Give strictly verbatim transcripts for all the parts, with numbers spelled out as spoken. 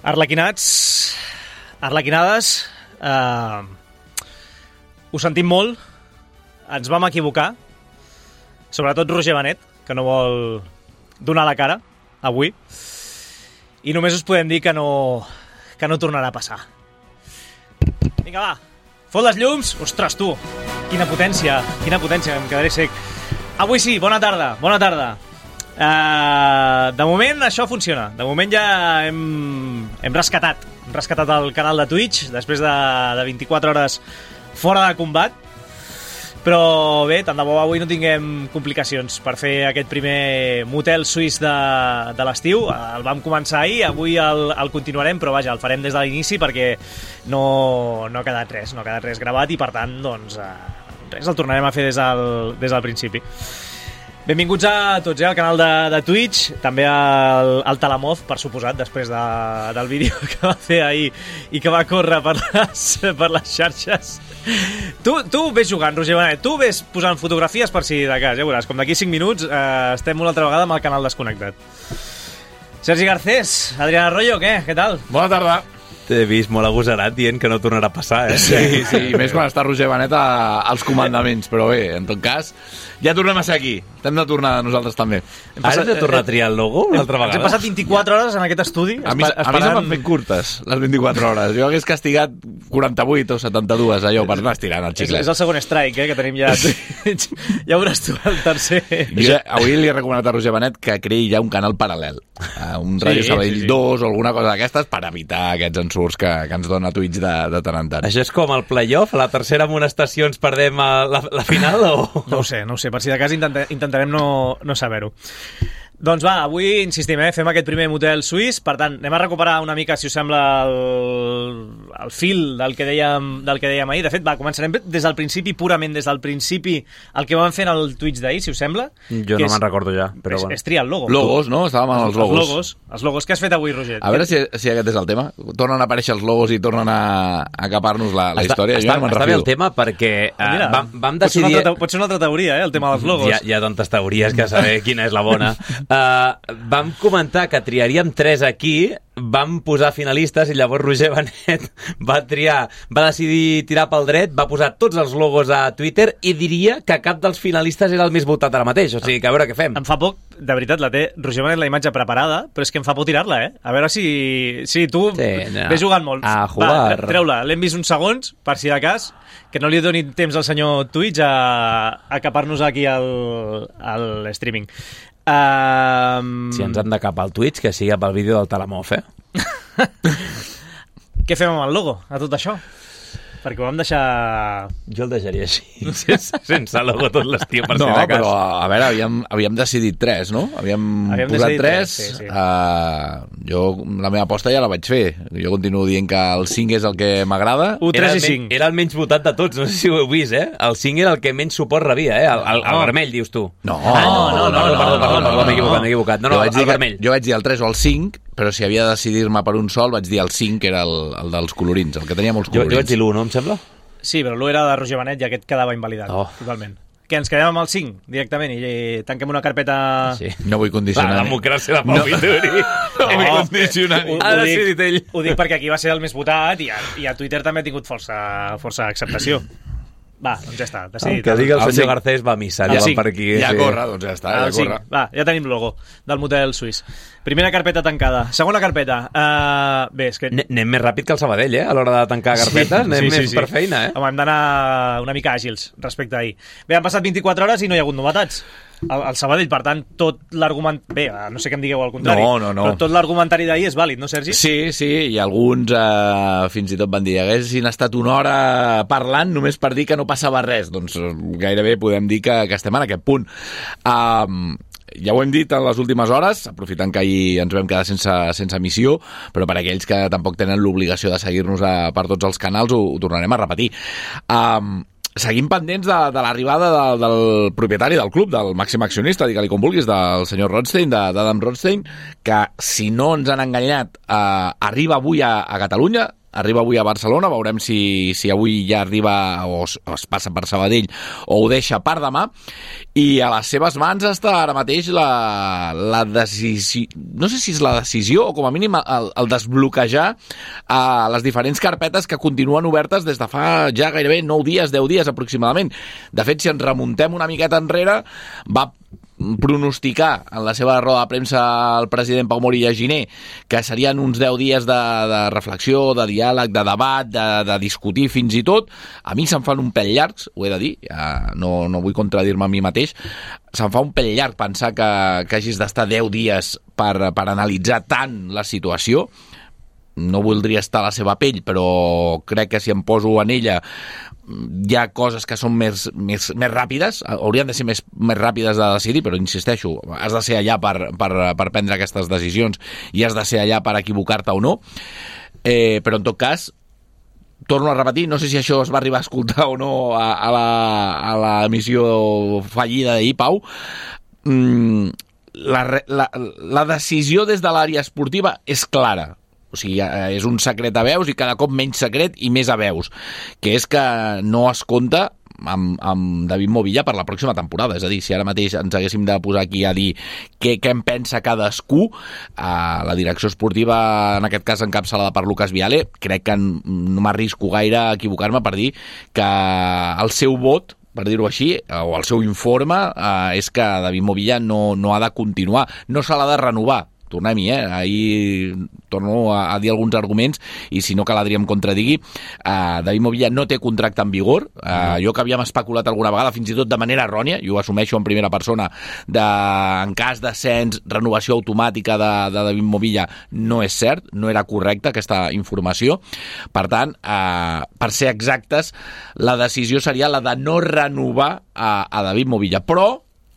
Arlequinats, arlequinades, eh, ho sentim molt, ens vam equivocar, sobretot Roger Benet, que no vol donar la cara avui, i només us podem dir que no, que no tornarà a passar. Vinga, va, fot les llums. Ostres, tu, quina potència, quina potència, em quedaré sec. Avui sí, bona tarda, bona tarda. Uh, de moment això funciona. De moment ja hem, hem rescatat hem rescatat el canal de Twitch després de, de vint-i-quatre hores fora de combat. Però bé, tant de bo avui no tinguem complicacions per fer aquest primer motel suís de, de l'estiu. El vam començar ahir, avui el, el continuarem, però vaja, el farem des de l'inici perquè no, no ha quedat res, no ha quedat res gravat i per tant, doncs, uh, res, el tornarem a fer des del, des del principi. Benvinguts a tots, eh, al canal de, de Twitch, també al, al Talamoz, per suposat, després de, del vídeo que va fer ahir i que va córrer per les, per les xarxes. Tu, tu ves jugant, Roger Benet, tu ves posant fotografies per si de cas, ja veuràs, com d'aquí cinc minuts eh, estem una altra vegada amb el canal desconnectat. Sergi Garcés, Adrián Arroyo, què? Què tal? Bona tarda. T'he vist molt agosarat dient que no tornarà a passar, eh? Sí, sí, i més quan està Roger Benet a, als comandaments, però bé, en tot cas, ja tornem a ser aquí. Hem de tornar nosaltres també. Ara hem de tornar a triar el logo una altra vegada? Ens hem passat vint-i-quatre hores en aquest estudi. A mi, a mi se m'han fet curtes, les vint-i-quatre hores. Jo hagués castigat quaranta-vuit o setanta-dues, allò, per anar estirant el xiclet. És, és el segon strike, eh, que tenim ja. Ja veuràs tu el tercer. Jo avui li he recomanat a Roger Benet que creï ja un canal paral·lel. Un Ràdio sí, Sabadell sí, sí. dos o alguna cosa d'aquestes per evitar aquests ensurts que, que ens dona Twitch de, de tant en tant. Això és com el playoff? A la tercera amonestació ens perdem a la, la final? O... No ho sé, no ho sé. Per si de cas intenta, intentarem no, no saber-ho. Doncs va, avui insistim, eh? Fem aquest primer motel suís, per tant, anem a recuperar una mica, si us sembla, el, el fil del que, dèiem, del que dèiem ahir. De fet, va, començarem des del principi, purament des del principi, el que vam fer en el Twitch d'ahir, si us sembla. Jo no me'n recordo ja, però és, bueno. És triar el logo. Logos, no? Estàvem amb els logos. Els logos, els logos. Què has fet avui, Roger? A veure si, si aquest és el tema. Tornen a aparèixer els logos i tornen a, a capar-nos la, la està, història. Està, jo no està bé el tema perquè uh, Mira, vam, vam decidir... Pot ser, altra, pot ser una altra teoria, eh? El tema dels logos. Hi ha, hi ha tantes teories que saber quina és la bona. Uh, vam comentar que triaríem tres aquí, vam posar finalistes i llavors Roger Benet va triar, va decidir tirar pel dret, va posar tots els logos a Twitter i diria que cap dels finalistes era el més votat ara mateix, o sigui que a veure què fem. Em fa poc, de veritat, la té Roger Benet la imatge preparada, però és que em fa por tirar-la, eh? A veure si, si tu sí, no. ves jugant molt. A jugar. Va, treu-la, l'hem vist uns segons, per si de cas, que no li doni temps al senyor Twitch a, a capar-nos aquí al, al streaming. Um... Si ens han de capar al Twitch, que sigui pel vídeo del Talamoz, eh? Què fem amb el logo, a tot això? Perquè ho vam deixar... Jo el deixaria així, sense, sense logo tot l'estiu, per no, si de cas. No, però, a veure, havíem, havíem decidit tres, no? Havíem, havíem posat tres. tres sí, sí. Uh, jo, la meva aposta ja la vaig fer. Jo continuo dient que el cinc és el que m'agrada. u, tres i cinc. Era el menys votat de tots, no sé si ho heu vist, eh? El cinc era el que menys suport rebia, eh? El, el, el vermell, dius tu. No, ah, no, no, no, no, no, perdó, perdó, perdó, m'he equivocat, m'he equivocat. No, no, el, el vermell. Jo vaig dir el tres o el cinc, però si havia de decidir-me per un sol, vaig dir el cinc, que era el, el dels colorins, el que tenia molts colorins. Jo, jo vaig dir l'u, no, em sembla? Sí, però l'u era de Roger Benet i aquest quedava invalidat, oh. totalment. Que ens quedem amb el cinc, directament, i tanquem una carpeta... Sí. No vull condicionar. La democràcia de Pau Vituri. No, no vull condicionar. Ho, ho, dic, ell. ho dic perquè aquí va ser el més votat i a, i a Twitter també ha tingut força, força acceptació. Va, doncs ja està, decidit. El que digui el, el senyor Garcés va a missa, ja, ja per aquí. Ja sí. corre, doncs ja està, ja corre. Va, ja tenim logo del motel suís. Primera carpeta tancada. Segona carpeta. Uh, bé, és que... Anem més ràpid que el Sabadell, eh? A l'hora de tancar carpetes, sí, anem sí, sí, més sí. per feina, eh? Home, hem d'anar una mica àgils respecte a ahir. Bé, han passat vint-i-quatre hores i no hi ha hagut novetats. El, el Sabadell, per tant, tot l'argument... Bé, no sé què em digueu al contrari, no, no, no. però tot l'argumentari d'ahir és vàlid, no, Sergi? Sí, sí, i alguns eh, fins i tot van dir haguessin estat una hora parlant només per dir que no passava res. Doncs gairebé podem dir que, que estem en aquest punt. Um, ja ho hem dit en les últimes hores, aprofitant que ahir ens vam quedar sense, sense emissió, però per aquells que tampoc tenen l'obligació de seguir-nos a, per tots els canals, ho, ho tornarem a repetir. Um, Seguim pendents de, de l'arribada de, del propietari del club, del màxim accionista, digue-li com vulguis, del senyor Rothstein, d'Adam Rothstein, que, si no ens han enganyat, eh, arriba avui a, a Catalunya, arriba avui a Barcelona, veurem si, si avui ja arriba o es, o es passa per Sabadell o ho deixa per demà, i a les seves mans està ara mateix la, la decisió, no sé si és la decisió o com a mínim el, el desbloquejar a les diferents carpetes que continuen obertes des de fa ja gairebé nou dies, deu dies aproximadament. De fet, si ens remuntem una miqueta enrere, va pronosticar en la seva roda de premsa el president Pau Morilla Giner que serien uns deu dies de, de reflexió, de diàleg, de debat, de, de discutir fins i tot. A mi se'm fan un pèl llargs, ho he de dir, ja no, no vull contradir-me a mi mateix, se'm fa un pèl llarg pensar que, que hagis d'estar deu dies per, per analitzar tant la situació. No voldria estar a la seva pell, però crec que si em poso en ella hi ha coses que són més, més, més ràpides, haurien de ser més, més ràpides de decidir, però insisteixo, has de ser allà per, per, per prendre aquestes decisions i has de ser allà per equivocar-te o no, eh, però en tot cas torno a repetir, no sé si això es va arribar a escoltar o no a, a, la, a la emissió fallida d'ahir, Pau. mm, la, la, la decisió des de l'àrea esportiva és clara. O sigui, és un secret a veus i cada cop menys secret i més a veus, que és que no es compta amb, amb David Movilla per la pròxima temporada. És a dir, si ara mateix ens haguéssim de posar aquí a dir què, què en pensa cadascú, eh, la direcció esportiva, en aquest cas encapçalada per Lucas Viale, crec que no m'arrisco gaire a equivocar-me per dir que el seu vot, per dir-ho així, o el seu informe, eh, és que David Movilla no, no ha de continuar, no se l'ha de renovar. Tornem-hi, eh? Ahir torno a, a dir alguns arguments i si no que l'Adri em contradigui. uh, David Movilla no té contracte en vigor. uh, jo que havíem especulat alguna vegada, fins i tot de manera errònia, jo ho assumeixo en primera persona, de, en cas d'ascens, renovació automàtica de, de David Movilla, no és cert, no era correcta aquesta informació. Per tant, uh, per ser exactes, la decisió seria la de no renovar a, a David Movilla, però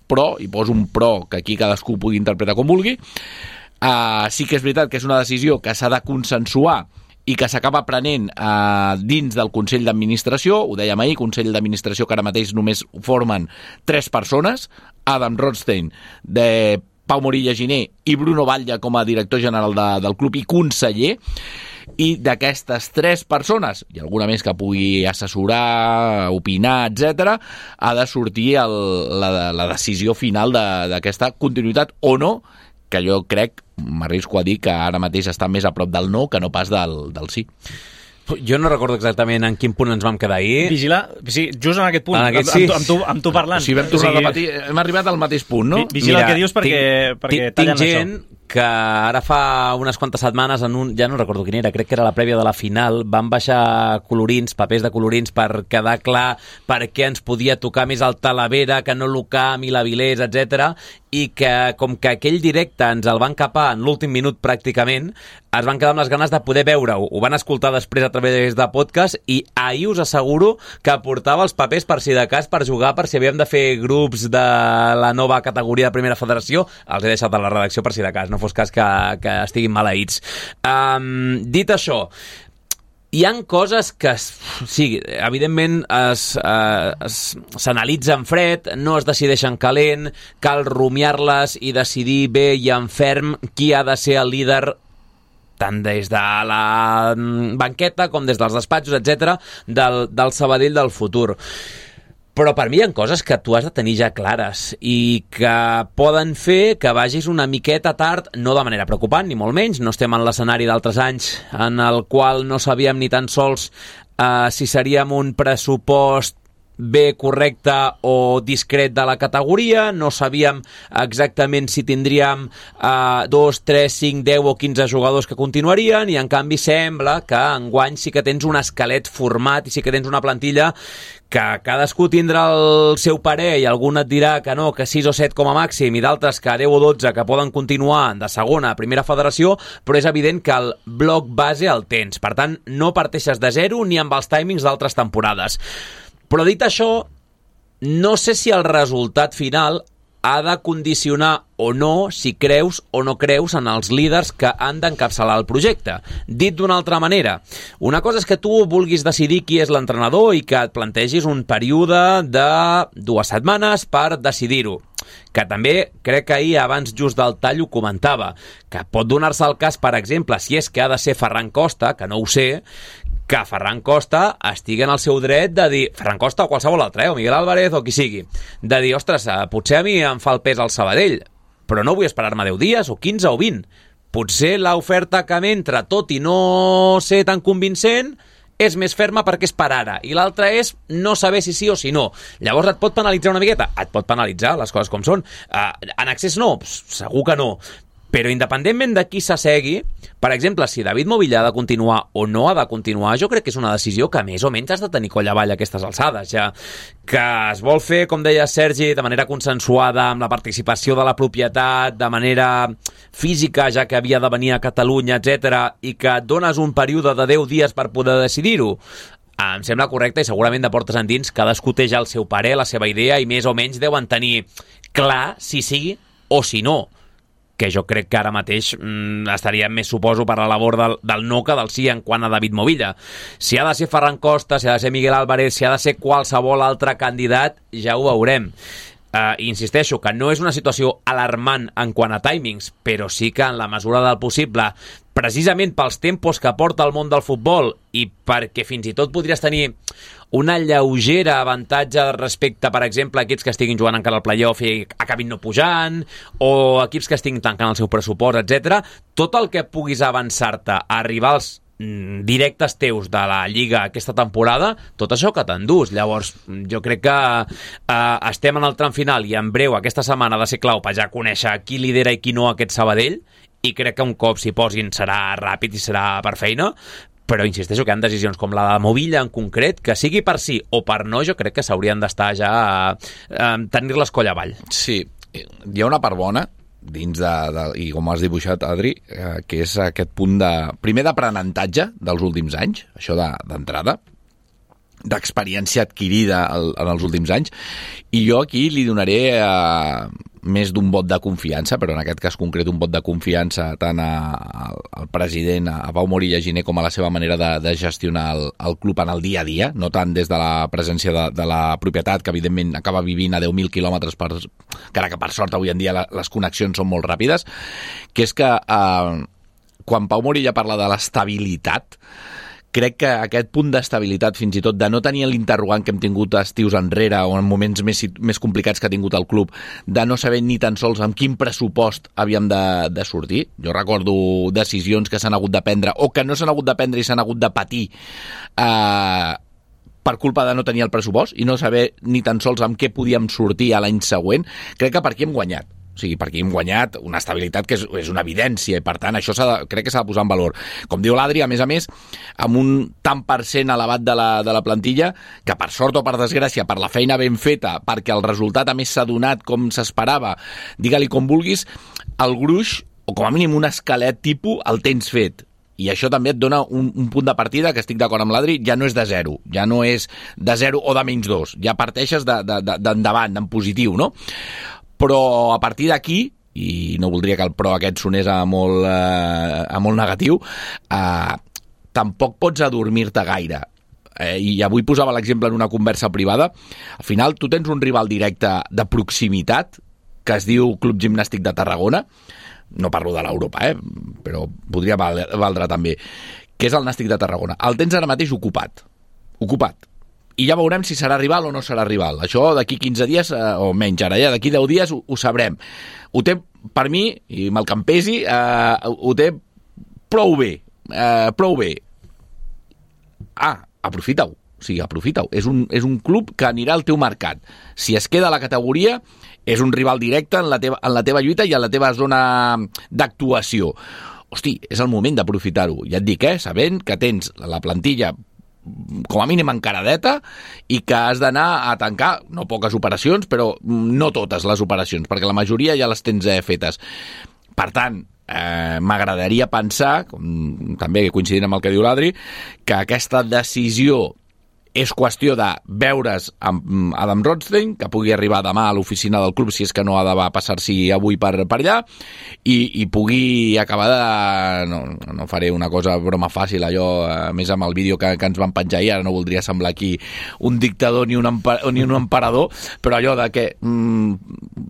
però, i poso un però que aquí cadascú pugui interpretar com vulgui, Uh, sí que és veritat que és una decisió que s'ha de consensuar i que s'acaba prenent uh, dins del Consell d'Administració. Ho dèiem ahir, Consell d'Administració que ara mateix només formen tres persones, Adam Rothstein, de Pau Morilla Giner i Bruno Batlle com a director general de, del club i conseller, i d'aquestes tres persones, i alguna més que pugui assessorar, opinar, etcètera, ha de sortir el, la, la decisió final d'aquesta continuïtat o no, que jo crec, m'arrisco a dir que ara mateix està més a prop del no que no pas del, del sí. Jo no recordo exactament en quin punt ens vam quedar ahir. Vigilar, sí, just en aquest punt, en aquest, amb, sí. amb, amb, tu, amb tu parlant. O sigui, vam tornar o sigui, a repetir, hem arribat al mateix punt, no? Vigila el que dius perquè, tinc, perquè tinc tallen gent això. Que ara fa unes quantes setmanes, en un, ja no recordo quin era, crec que era la prèvia de la final, van baixar colorins, papers de colorins per quedar clar per què ens podia tocar més el Talavera que no l'Ucam i l'Avilés, etcètera, i que com que aquell directe ens el van capar en l'últim minut pràcticament, es van quedar amb les ganes de poder veure-ho. Ho van escoltar després a través de podcast i ahir us asseguro que portava els papers per si de cas per jugar, per si havíem de fer grups de la nova categoria de Primera Federació. Els he deixat a la redacció per si de cas, no fos cas que, que estiguin maleïts. Um, dit això, hi han coses que, sí, evidentment es, es, s'analitzen fred, no es decideixen calent, cal rumiar-les i decidir bé i en ferm qui ha de ser el líder tant des de la banqueta com des dels despatxos, etcètera, del, del Sabadell del futur. Però per mi hi ha coses que tu has de tenir ja clares i que poden fer que vagis una miqueta tard, no de manera preocupant, ni molt menys. No estem en l'escenari d'altres anys en el qual no sabíem ni tan sols uh, si seríem un pressupost bé correcte o discret de la categoria, no sabíem exactament si tindríem uh, dos, tres, cinc, deu o quinze jugadors que continuarien, i en canvi sembla que enguany sí que tens un esquelet format i sí que tens una plantilla que cadascú tindrà el seu parer i algun et dirà que no, que sis o set com a màxim i d'altres que deu o dotze que poden continuar de segona a primera federació, però és evident que el bloc base el tens. Per tant, no parteixes de zero ni amb els timings d'altres temporades. Però dit això, no sé si el resultat final ha de condicionar o no si creus o no creus en els líders que han d'encapçalar el projecte. Dit d'una altra manera, una cosa és que tu vulguis decidir qui és l'entrenador i que et plantegis un període de dues setmanes per decidir-ho. que també crec que ahir, abans just del tall, ho comentava, que pot donar-se el cas, per exemple, si és que ha de ser Ferran Costa, que no ho sé, que Ferran Costa estigui en el seu dret de dir, Ferran Costa o qualsevol altre, eh, o Miguel Álvarez o qui sigui, de dir, ostres, potser a mi em fa el pes al Sabadell, però no vull esperar-me deu dies o quinze o vint. Potser l'oferta que m'entra, tot i no ser tan convincent, és més ferma perquè és per ara. I l'altra és no saber si sí o si no. Llavors et pot penalitzar una miqueta? Et pot penalitzar, les coses com són. Uh, en accés no? Segur que no. Però independentment de qui s'assegui, per exemple, si David Movilla ha de continuar o no ha de continuar, jo crec que és una decisió que més o menys has de tenir coll avall a aquestes alçades, ja que es vol fer, com deia Sergi, de manera consensuada, amb la participació de la propietat, de manera física, ja que havia de venir a Catalunya, etcètera, i que et dones un període de deu dies per poder decidir-ho. Em sembla correcte i segurament de portes endins cadascú té ja el seu parer, la seva idea, i més o menys deuen tenir clar si sí o si no, que jo crec que ara mateix mm, estaria més, suposo, per la labor del, del no que del sí en quant a David Movilla. Si ha de ser Ferran Costa, si ha de ser Miguel Álvarez, si ha de ser qualsevol altre candidat, ja ho veurem. Uh, insisteixo que no és una situació alarmant en quant a timings, però sí que en la mesura del possible, precisament pels tempos que porta el món del futbol i perquè fins i tot podries tenir una lleugera avantatge respecte, per exemple, a equips que estiguin jugant encara al playoff i acabin no pujant, o equips que estiguin tancant el seu pressupost, etcètera. Tot el que puguis avançar-te a rivals directes teus de la Lliga aquesta temporada, tot això que t'endús. Llavors, jo crec que eh, estem en el tram final i en breu aquesta setmana ha de ser clau per ja conèixer qui lidera i qui no aquest Sabadell, i crec que un cop s'hi posin serà ràpid i serà per feina, però insisteixo que hi ha decisions com la de Movilla en concret, que sigui per sí o per no, jo crec que s'haurien d'estar ja a, a tenir-les coll avall. Sí, hi ha una part bona dins de, de, i com has dibuixat, Adri, eh, que és aquest punt de, primer d'aprenentatge dels últims anys, això d'entrada, de, d'experiència adquirida el, en els últims anys, i jo aquí li donaré eh, més d'un vot de confiança, però en aquest cas concret un vot de confiança tant a, a, al president, a Pau Morilla Giner, com a la seva manera de, de gestionar el, el club en el dia a dia, no tant des de la presència de, de la propietat, que evidentment acaba vivint a deu mil quilòmetres, per, encara que per sort avui en dia la, les connexions són molt ràpides, que és que eh, quan Pau Morilla parla de l'estabilitat, crec que aquest punt d'estabilitat, fins i tot de no tenir l'interrogant que hem tingut estius enrere o en moments més, més complicats que ha tingut el club, de no saber ni tan sols amb quin pressupost havíem de, de sortir. Jo recordo decisions que s'han hagut de prendre o que no s'han hagut de prendre i s'han hagut de patir eh, per culpa de no tenir el pressupost i no saber ni tan sols amb què podíem sortir a l'any següent. Crec que per aquí hem guanyat. O sigui, perquè hem guanyat una estabilitat que és, és una evidència i per tant això s'ha de, crec que s'ha de posar en valor. Com diu l'Adri, a més a més, amb un tant per cent elevat de la, de la plantilla que per sort o per desgràcia, per la feina ben feta, perquè el resultat a més s'ha donat com s'esperava, digue-li com vulguis, el gruix, o com a mínim un esquelet tipus, el tens fet. I això també et dona un, un punt de partida que estic d'acord amb l'Adri, ja no és de zero, ja no és de zero o de menys dos, ja parteixes d'endavant, de, de, de, en positiu, no? Però a partir d'aquí, i no voldria que el pro aquest sonés a molt, eh, a molt negatiu, eh, tampoc pots adormir-te gaire. Eh, I avui posava l'exemple en una conversa privada. Al final tu tens un rival directe de proximitat que es diu Club Gimnàstic de Tarragona, no parlo de l'Europa, eh, però podria valdre també, que és el Nàstic de Tarragona. El tens ara mateix ocupat. Ocupat. I ja veurem si serà rival o no serà rival. Això d'aquí quinze dies, eh, o menys ara, ja d'aquí deu dies ho, ho sabrem. Ho té, per mi, i me'l campesi, eh, ho té prou bé. Eh, prou bé. Ah, aprofita-ho. O sigui, aprofita-ho. És un, és un club que anirà al teu mercat. Si es queda a la categoria, és un rival directe en la teva, en la teva lluita i en la teva zona d'actuació. Hosti, és el moment d'aprofitar-ho. Ja et dic, eh, sabent que tens la plantilla com a mínim encaradeta i que has d'anar a tancar, no poques operacions, però no totes les operacions, perquè la majoria ja les tens eh, fetes. Per tant, eh, m'agradaria pensar, com, també coincidint amb el que diu l'Adri, que aquesta decisió és qüestió de veure's amb Adam Rothstein, que pugui arribar demà a l'oficina del club, si és que no ha de passar-s'hi avui per, per allà, i, i pugui acabar de... No, no faré una cosa broma fàcil, allò, a més amb el vídeo que, que ens van penjar ahir, ara no voldria semblar aquí un dictador ni un, emper, ni un emperador, però allò de que, mm,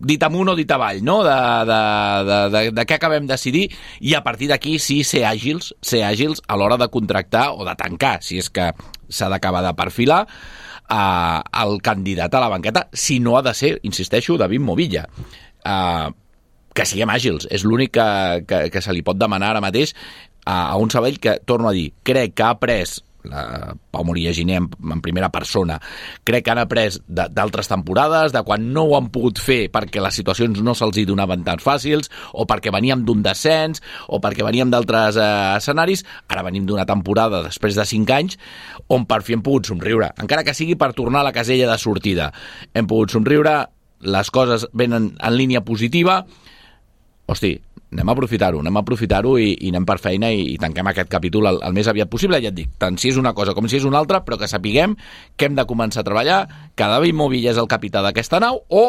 dit amunt o dit avall, no? de, de, de, de, de què acabem de decidir, i a partir d'aquí sí ser àgils, ser àgils a l'hora de contractar o de tancar, si és que s'ha d'acabar de perfilar uh, el candidat a la banqueta, si no ha de ser, insisteixo, David Movilla. Uh, que siguem àgils, és l'únic que, que, que se li pot demanar ara mateix a, a un Sabadell que, torno a dir, crec que ha après la Pau Moria Giner en, en primera persona, crec que han après d'altres temporades, de quan no ho han pogut fer perquè les situacions no se'ls hi donaven tan fàcils, o perquè veníem d'un descens, o perquè veníem d'altres eh, escenaris. Ara venim d'una temporada després de cinc anys on per fi hem pogut somriure, encara que sigui per tornar a la casella de sortida. Hem pogut somriure, les coses venen en línia positiva. Hosti, anem a aprofitar-ho, anem a aprofitar-ho i, i anem per feina i, i tanquem aquest capítol el, el més aviat possible. Ja et dic, tant si és una cosa com si és una altra, però que sapiguem que hem de començar a treballar, que David Movilla és el capità d'aquesta nau, o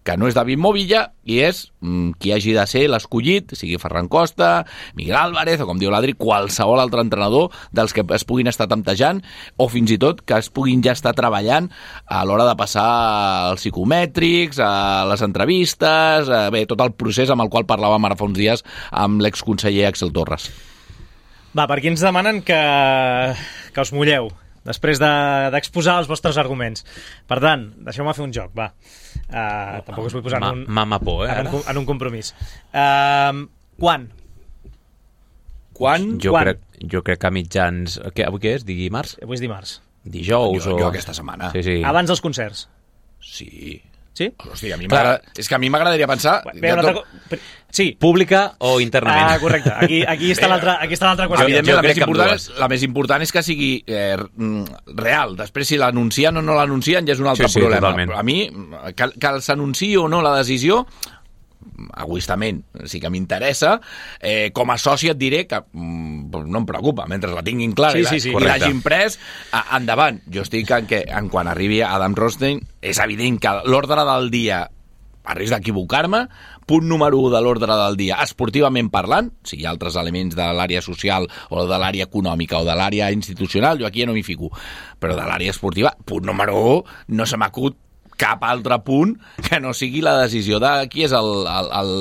que no és David Movilla i és mm, qui hagi de ser l'escollit, sigui Ferran Costa, Miguel Álvarez, o com diu l'Adri, qualsevol altre entrenador dels que es puguin estar temptejant, o fins i tot que es puguin ja estar treballant a l'hora de passar als psicomètrics, a les entrevistes, a, bé, tot el procés amb el qual parlàvem ara fa uns dies amb l'exconseller Axel Torres. Va, per aquí ens demanen que, que us mulleu després d'exposar de, els vostres arguments. Per tant, deixeu-me fer un joc, va. Uh, tampoc us vull posar en un, Mama por, eh, en, un, en un compromís. Uh, quan? Quan? Jo, quan? crec, jo crec que a mitjans... Què, avui què és? Dimarts? Avui és dimarts. Dijous Jo, o... jo aquesta setmana. Sí, sí. Abans dels concerts. Sí. Sí? Hòstia, a mi és que a mi m'agradaria pensar... Bé, una altra... co- Sí. Pública o internament? Ah, correcte. Aquí, aquí està l'altra qüestió. Evidentment, Jo la, crec més que amb important dues. és, la més important és que sigui eh, real. Després, si l'anuncien o no l'anuncien, ja és un altre Sí, sí, problema. totalment. Però a mi, que, que s'anunciï o no la decisió, egoistament, sí que m'interessa. Eh, com a soci et diré que mm, no em preocupa, mentre la tinguin clara Sí, i, sí, sí, i correcte. l'hagin pres, a, endavant. Jo estic en que, en quan arribi Adam Rothstein, és evident que l'ordre del dia, a risc d'equivocar-me, punt número u de l'ordre del dia, esportivament parlant, si hi ha altres elements de l'àrea social o de l'àrea econòmica o de l'àrea institucional, jo aquí ja no m'hi fico, però de l'àrea esportiva, punt número u, no se m'acut cap altre punt que no sigui la decisió de qui és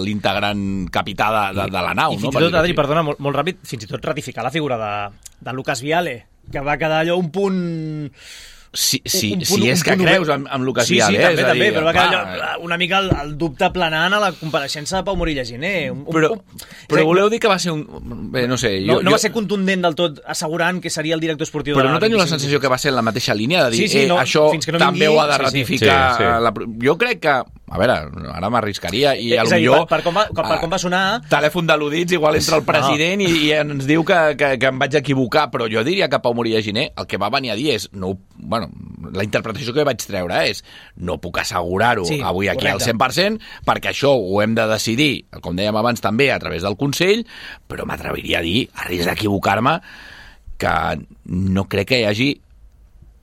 l'integrant capità de, de, de la nau. I fins no? i tot, Per Adri, dir-ho perdona, molt, molt ràpid, fins i tot ratificar la figura de, de Lucas Viale, que va quedar allò un punt... Si, si, un punt- si és un que punt creus obert. en, en Lucas sí, Viale, sí, eh? també, És a també, dir, però va quedar clar, allò, una mica el, el dubte planant a la compareixença de Pau Morilla Giner. Un, un, Però, un, però voleu dir que va ser un... Bé, no sé... no, Jo, no jo... va ser contundent del tot assegurant que seria el director esportiu Però de la no teniu la vint-i-cinc sensació que va ser en la mateixa línia de dir, Sí, sí, no, eh, això fins que no també vingui- ho ha de sí, sí. ratificar... Sí, sí. La... Jo crec que... A veure, ara m'arriscaria i a És lo a dir, millor... per, per, com va, per com va sonar... Telèfon d'al·ludits, igual entra el president no. i, i ens diu que, que, que em vaig equivocar, però jo diria que Pau Morilla Giner el que va venir a dir és... No, bueno, la interpretació que vaig treure és no puc assegurar-ho Sí, avui aquí correcte. al cent per cent perquè això ho hem de decidir, com dèiem abans també, a través del Consell, però m'atreviria a dir, a risc d'equivocar-me, que no crec que hi hagi...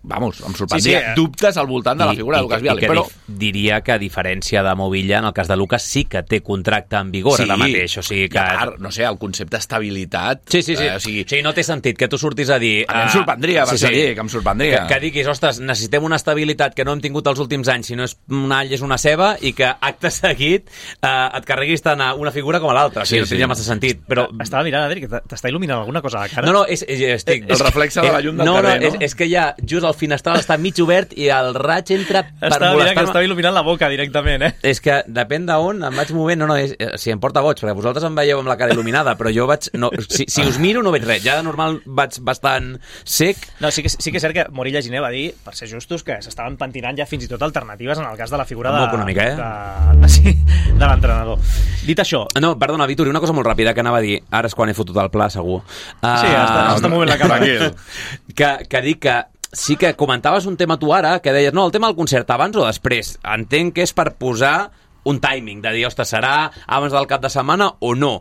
Vamos, em sorprendria. Sí, sí, eh? Dubtes al voltant de la figura I, de Lucas i, Viale, i que però... dif, diria que a diferència de Movilla, en el cas de Lucas sí que té contracte en vigor ara mateix, o sigui que... I a part, no sé, el concepte estabilitat... Sí, sí, sí. Eh, o sigui, sí, no té sentit que tu surtis a dir... a mi em uh, sorprendria, per sí, sí. dir, que em sorprendria. Que, que diguis, ostres, necessitem una estabilitat que no hem tingut els últims anys, si no és una all és una ceba, i que acte seguit uh, et carreguis tant a una figura com a l'altra. Sí, Sí, no sí. tindria massa sentit. Però... Estava mirant, Adri, que t'està il·luminant alguna cosa a la cara. No, no, és, és, estic... El reflexe de la llum del no, carrer, no, no? És, és que ja just el finestral està mig obert i el raig entra per Estava mirant que molestar-me. estava il·luminant la boca directament, eh? És que depèn d'on em vaig movent, no, no, és, si em porta boig, perquè vosaltres em veieu amb la cara il·luminada, però jo vaig... No, si, si us miro no veig res, ja de normal vaig bastant sec. No, sí que, sí que és cert que Morilla Giner va dir, per ser justos, que s'estaven pentinant ja fins i tot alternatives en el cas de la figura de, Molt econòmica, eh? de, de, sí, de l'entrenador. Dit això... No, perdona, Vituri, una cosa molt ràpida que anava a dir, ara és quan he fotut el pla, segur. Uh, Sí, està, està movent la cara. que, que dic que sí que comentaves un tema tu ara, que deies, no, el tema del concert, abans o després? Entenc que és per posar un timing, de dir, ostres, serà abans del cap de setmana o no?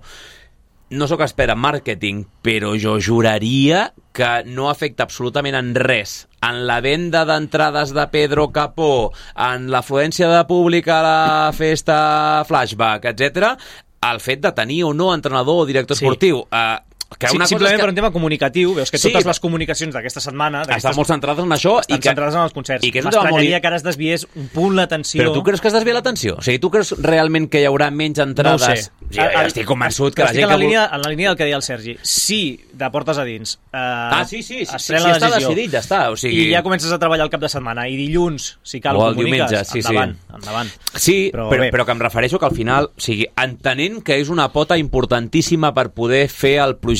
no sóc expert en màrqueting, però jo juraria que no afecta absolutament en res en la venda d'entrades de Pedro Capó, en l'afluència de públic a la festa Flashback, etcètera, el fet de tenir o no entrenador o director sí. esportiu. Uh, que sí, una simplement cosa per un tema comunicatiu, veus que sí, totes les comunicacions d'aquesta setmana estan molt centrades en això estan i que, centrades en els concerts. I que és un tema molt... que ara es desviés un punt l'atenció. Però tu creus que es desvia l'atenció? O sigui, tu creus realment que hi haurà menys entrades? No ho sé. Sí, jo estic convençut que la estic gent en la que... línia, en la línia del que deia el Sergi. Si de portes a dins eh, ah, sí, sí, sí, es sí, pren sí, la està decisió decidit, ja està. O sigui... i ja comences a treballar el cap de setmana i dilluns, si cal, o ho el comuniques, diumenge, sí, endavant, sí. endavant. Sí, però, però, però que em refereixo que al final, o sigui, entenent que és una pota importantíssima per poder fer el projecte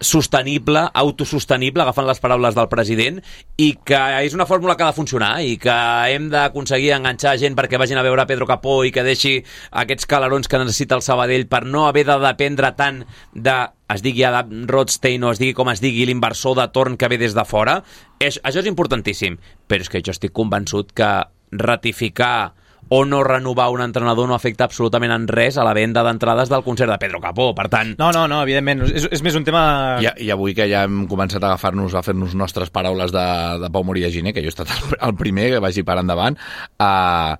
sostenible, autosostenible, agafant les paraules del president, i que és una fórmula que ha de funcionar i que hem d'aconseguir enganxar gent perquè vagin a veure Pedro Capó i que deixi aquests calarons que necessita el Sabadell per no haver de dependre tant de, es digui Adam Rothstein o es digui com es digui, l'inversor de torn que ve des de fora. És, això és importantíssim, però és que jo estic convençut que ratificar o no renovar un entrenador no afecta absolutament en res a la venda d'entrades del concert de Pedro Capó, per tant... No, no, no, evidentment, és, és més un tema... I, I avui que ja hem començat a agafar-nos, a fer-nos nostres paraules de, de Pau Moria Giner, que jo he estat el, el primer que vagi per endavant, uh,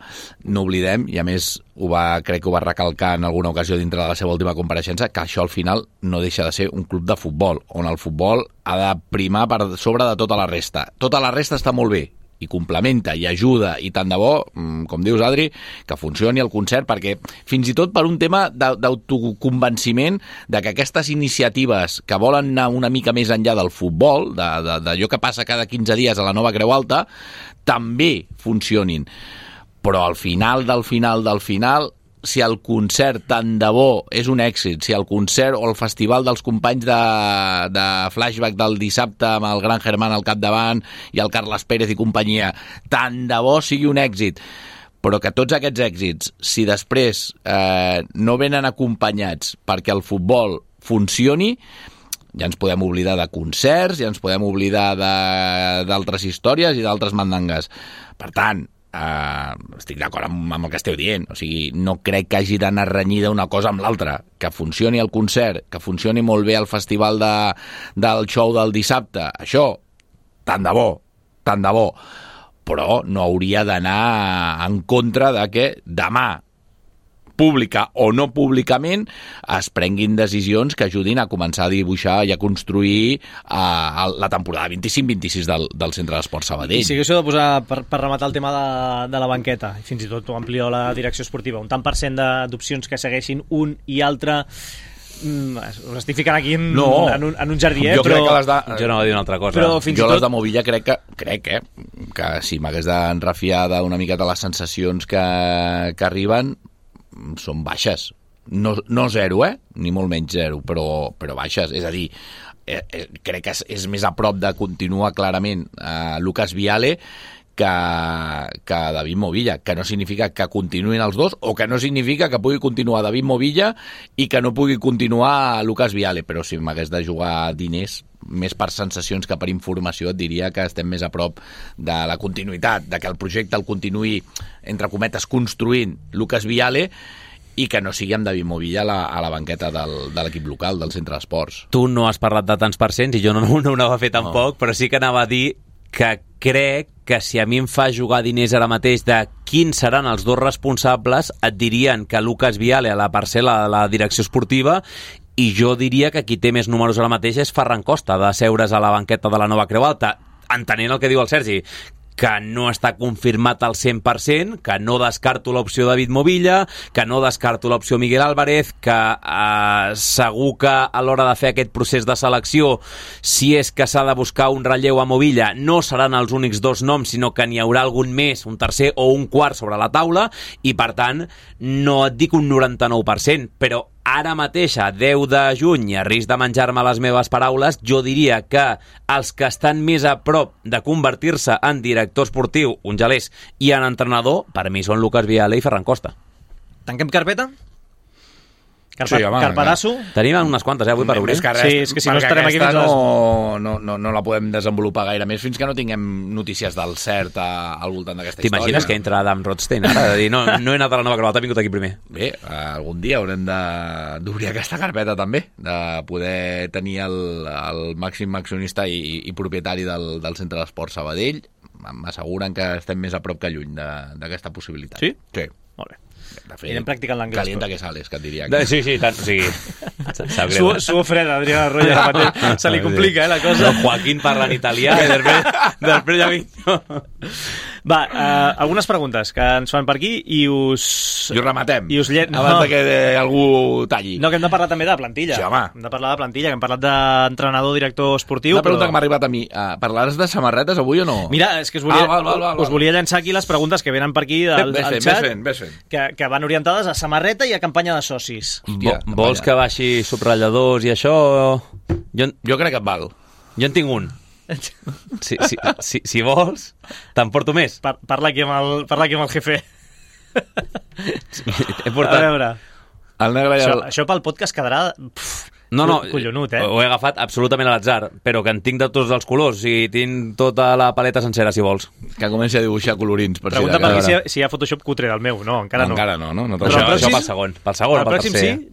no oblidem, i a més ho va, crec que ho va recalcar en alguna ocasió dintre de la seva última compareixença, que això al final no deixa de ser un club de futbol, on el futbol ha de primar per sobre de tota la resta. Tota la resta està molt bé, i complementa, i ajuda, i tant de bo, com dius, Adri, que funcioni el concert, perquè fins i tot per un tema d'autoconvenciment de que aquestes iniciatives que volen anar una mica més enllà del futbol, d'allò que passa cada quinze dies a la Nova Creu Alta, també funcionin. Però al final del final del final, si el concert tant de bo és un èxit, si el concert o el festival dels companys de, de Flashback del dissabte amb el Gran Germán al capdavant i el Carles Pérez i companyia, tant de bo sigui un èxit, però que tots aquests èxits, si després eh, no venen acompanyats perquè el futbol funcioni, ja ens podem oblidar de concerts, ja ens podem oblidar d'altres històries i d'altres mandangues. Per tant, Uh, estic d'acord amb, amb el que esteu dient, o sigui, no crec que hagi d'anar renyida una cosa amb l'altra, que funcioni el concert, que funcioni molt bé el festival de, del show del dissabte, això, tant de bo, tant de bo, però no hauria d'anar en contra de que demà, pública o no públicament, es prenguin decisions que ajudin a començar a dibuixar i a construir uh, la temporada vint-i-cinc vint-i-sis del, del Centre d'Esport Sabadell. I si haguéssiu de posar, per, per rematar el tema de, de la banqueta, i fins i tot ho amplió la direcció esportiva, un tant per cent d'opcions que segueixin un i altre, mm, us estic ficant aquí en, no, en, un, en un jardí, eh? Jo però... crec que les de... Jo no va dir una altra cosa. Però fins jo i tot... les de Movilla crec que, crec, eh, que si m'hagués d'enrefiar d'una miqueta les sensacions que, que arriben, són baixes. No, no zero, eh? Ni molt menys zero, però, però baixes. És a dir, eh, eh, crec que és, és més a prop de continuar clarament eh, Lucas Viale que, que David Movilla, que no significa que continuïn els dos o que no significa que pugui continuar David Movilla i que no pugui continuar Lucas Viale, però si m'hagués de jugar diners, més per sensacions que per informació, et diria que estem més a prop de la continuïtat, de que el projecte el continuï, entre cometes, construint Lucas Viale i que no sigui amb David Movilla a la, a la banqueta del, de l'equip local, del centre d'esports. Tu no has parlat de tants percents i jo no, no, no ho anava a fer tampoc, no. Però sí que anava a dir que crec que si a mi em fa jugar diners ara mateix de quins seran els dos responsables, et dirien que Lucas Viale a la parcel·la de la direcció esportiva, i jo diria que qui té més números ara mateix és Ferran Costa, de seure's a la banqueta de la Nova Creu Alta, entenent el que diu el Sergi, que no està confirmat al cent per cent, que no descarto l'opció David Movilla, que no descarto l'opció Miguel Álvarez, que eh, segur que a l'hora de fer aquest procés de selecció, si és que s'ha de buscar un relleu a Movilla, no seran els únics dos noms, sinó que n'hi haurà algun més, un tercer o un quart sobre la taula, i per tant no et dic un noranta-nou per cent, però ara mateix, a deu de juny, a risc de menjar-me les meves paraules, jo diria que els que estan més a prop de convertir-se en director esportiu, un gelés, i en entrenador, per mi són Lucas Viale i Ferran Costa. Tanquem carpeta? Carpa, Sí, home, Carpadasso. Tenim unes quantes, eh, avui per obrir. Més que res, Sí, és que si no perquè estarem aquí aquesta fins a les- no, no, no, no la podem desenvolupar gaire més fins que no tinguem notícies del cert a, al voltant d'aquesta història. T'imagines que entra Adam Rothstein ara? De dir, no, no he anat a la nova croata, he vingut aquí primer. Bé, algun dia haurem de- d'obrir aquesta carpeta també, de poder tenir el, el màxim accionista i, i propietari del, del Centre d'Esport Sabadell. M'asseguren que estem més a prop que lluny de- d'aquesta possibilitat. Sí? Sí. Molt bé. De fet, Anirem practicant l'anglès. Calienta que sales, que et diria. De, sí, sí, tant, o sigui... Sap greu. Suo, suo freda, Adrià Arroyo, ara mateix. Se li complica, eh, la cosa. No, Joaquín parla en italià i després, després ja vinc jo. Va, uh, algunes preguntes que ens fan per aquí i us... I ho rematem, I us llet... abans no. de que de- algú talli. No, que hem de parlar també de plantilla. Sí, home. Hem de parlar de plantilla, que hem parlat d'entrenador, director esportiu. Una pregunta però... que m'ha arribat a mi. Uh, parlaràs de samarretes avui o no? Mira, és que us volia, Ah, val, val, val, val. us volia llançar aquí les preguntes que venen per aquí al, Ves al fent, xat, ves fent, ves fent. que, que van orientades a samarreta i a campanya de socis. Hòstia, Vo- Vols que baixi subratlladors i això? Jo, en- Jo crec que et val. jo en tinc un. Si, si, si, si vols, te'n porto més. Par parla, aquí amb el, parla aquí amb el jefe. He A portat... veure, El negre i això, el... això pel podcast quedarà... Pff, No, no, collonut, eh? ho he agafat absolutament a l'atzar, però que en tinc de tots els colors i tinc tota la paleta sencera, si vols. Que comenci a dibuixar colorins. Per Pregunta si per de aquí cas. si, si hi ha Photoshop cutre del meu. No, encara no. Encara no, no? no Però Això, el això pròxim- pel segon, pel segon o el pel pròxim tercer. sí?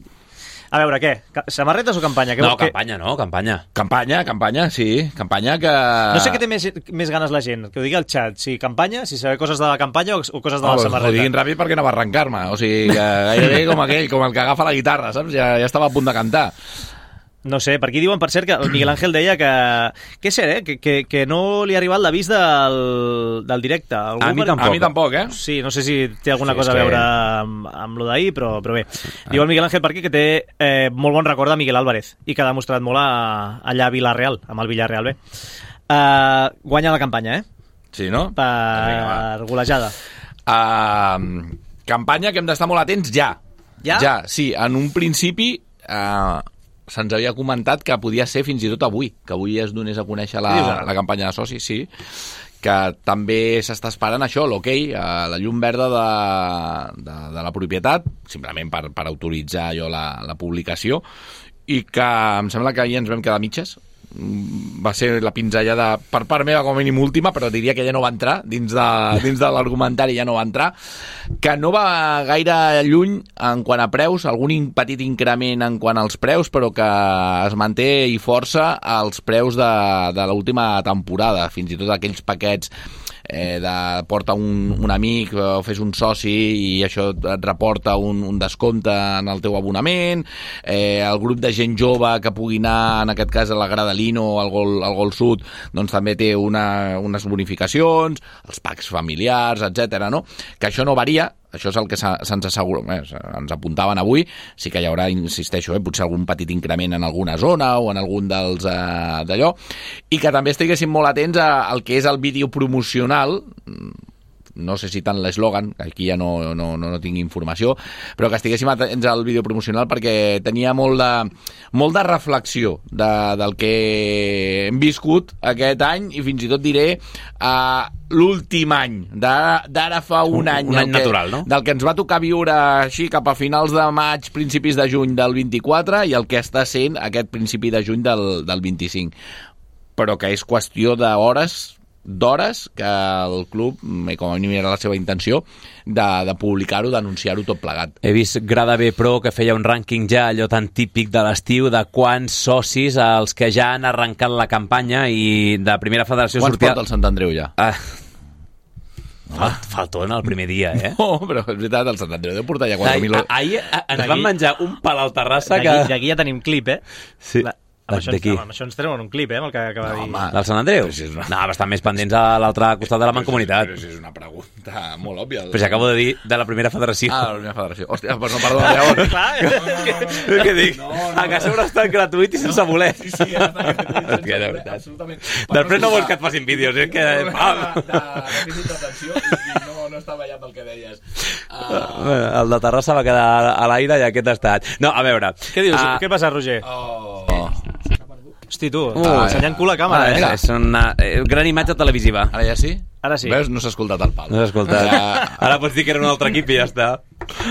A veure, què? Ca- Samarretes o campanya? Què, No, què... campanya no, campanya. Campanya, campanya, sí. Campanya que... No sé què té més, més ganes la gent, que ho digui al xat, si campanya, si saber coses de la campanya o, o coses de la Oh, ho samarreta. diguin ràpid perquè anava a arrencar-me. O sigui, que gairebé com aquell, com el que agafa la guitarra, saps? Ja, ja estava a punt de cantar. No sé, per aquí diuen, per cert, que el Miguel Ángel deia que... Que és cert, eh? Que, que, que no li ha arribat l'avís del, del directe. Algú A mi per- tampoc. A mi tampoc, eh? Sí, no sé si té alguna Sí, cosa és a que- veure amb, amb lo d'ahir, però, però bé. Diu el Miguel Ángel per aquí que té eh, molt bon record de Miguel Álvarez i que ha demostrat molt a, allà a Villarreal, amb el Villarreal B. Uh, guanya la campanya, eh? Sí, no? Per golejada. Uh, campanya que hem d'estar molt atents ja. Ja? Ja, sí. En un principi uh, se'ns havia comentat que podia ser fins i tot avui, que avui es donés a conèixer Què dius la, ara? la campanya de socis, sí, que també s'està esperant això, l'hoquei, okay, la llum verda de, de, de la propietat, simplement per, per autoritzar jo la, la publicació, i que em sembla que ahir ens vam quedar a mitges. Va ser la pinzellada per part meva com a mínim última, però diria que ja no va entrar dins de, dins de l'argumentari, ja no va entrar, que no va gaire lluny en quant a preus, algun in, petit increment en quant als preus, però que es manté i força als preus de, de l'última temporada, fins i tot aquells paquets eh, de porta un, un amic o fes un soci i això et reporta un, un descompte en el teu abonament, eh, el grup de gent jove que pugui anar, en aquest cas a la Gradalino o al Gol, al Gol Sud, doncs també té una, unes bonificacions, els packs familiars, etcètera, no? Que això no varia, això és el que se'ns assegura, eh, ens apuntaven avui, sí que hi haurà, insisteixo, eh, potser algun petit increment en alguna zona o en algun dels eh, d'allò, i que també estiguéssim molt atents a, al que és el vídeo promocional, no sé si tant l'eslògan, aquí ja no, no, no, no tinc informació, però que estiguéssim atents al vídeo promocional perquè tenia molt de, molt de reflexió de, del que hem viscut aquest any i fins i tot diré uh, l'últim any, d'ara fa un, un any. Un any que, natural, no? Del que ens va tocar viure així cap a finals de maig, principis de juny del vint-i-quatre i el que està sent aquest principi de juny del, del vint-i-cinc. Però que és qüestió d'hores d'hores que el club, com a mínim era la seva intenció, de, de publicar-ho, d'anunciar-ho tot plegat. He vist Grada B Pro que feia un rànquing ja, allò tan típic de l'estiu, de quants socis els que ja han arrencat la campanya i de primera federació Quants sortia... porta el Sant Andreu ja? Ah. Falt, faltona el primer dia, eh? No, però és veritat, el Sant Andreu deu portar ja quatre mil... Ahir, ahir ens D'aquí- van menjar un pal al Terrassa D'aquí que... d'aquí ja tenim clip, eh? Sí. La, amb, això ens, D'aquí. amb això ens treuen un clip, eh? Amb el que acaba de No, dir. home. Del Sant Andreu? Però si és una- No, estan més pendents a l'altre costat de la Mancomunitat. Però si és una pregunta molt òbvia. Però si acabo de dir de la primera federació. Ah, de la primera federació. Hòstia, doncs no, perdó, llavors. És que dic, a casa haurà estat gratuït i sense voler. Sí, sí, ja està gratuït. Hòstia, de veritat. Absolutament. Després no vols que et facin vídeos, és que... De, Pam! de dèficit d'atenció i, i no, no estava allà pel que deies. Uh, El de Terrassa va quedar a l'aire i aquest ha estat. No, a veure... Què dius? ah, Què passa, Roger? oh. Hosti, tu, Uh, ensenyant cul a càmera, ah, eh? és una eh, gran imatge televisiva. Ara ja sí? Ara sí. Veus? No s'ha escoltat el pal. No has escoltat. Ja. Ara pots dir que era un altre equip i ja està.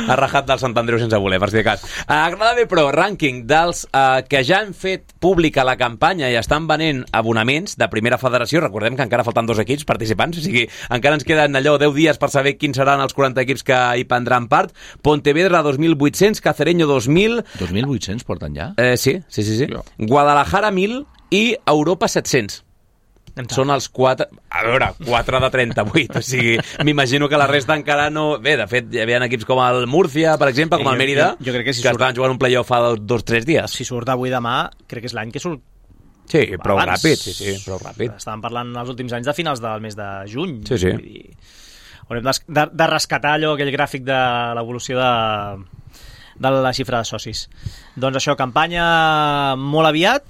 Ha rajat del Sant Andreu sense voler, per si de cas. A Granada B Pro, rànquing dels uh, que ja han fet pública la campanya i estan venent abonaments de primera federació. Recordem que encara falten dos equips participants, o sigui, encara ens queden allò deu dies per saber quins seran els quaranta equips que hi prendran part. Pontevedra dos mil vuit-cents, Cacereño dos mil... dos mil vuit-cents porten ja? Eh, sí, sí, sí. sí. Jo. Guadalajara mil i Europa set-cents. Són els quatre... A veure, quatre de trenta-vuit. O sigui, m'imagino que la resta encara no... Bé, de fet, hi havia equips com el Múrcia, per exemple, com el Mérida, jo, jo crec que, si que surt... estaven jugant un playoff fa dos o dos, tres dies. Si surt avui demà, crec que és l'any que surt... Sí, prou abans. ràpid, sí, sí, prou ràpid. Estàvem parlant els últims anys de finals del mes de juny. Sí, sí. Vull dir, haurem de, de, de rescatar allò, aquell gràfic de l'evolució de, de la xifra de socis. Doncs això, campanya molt aviat.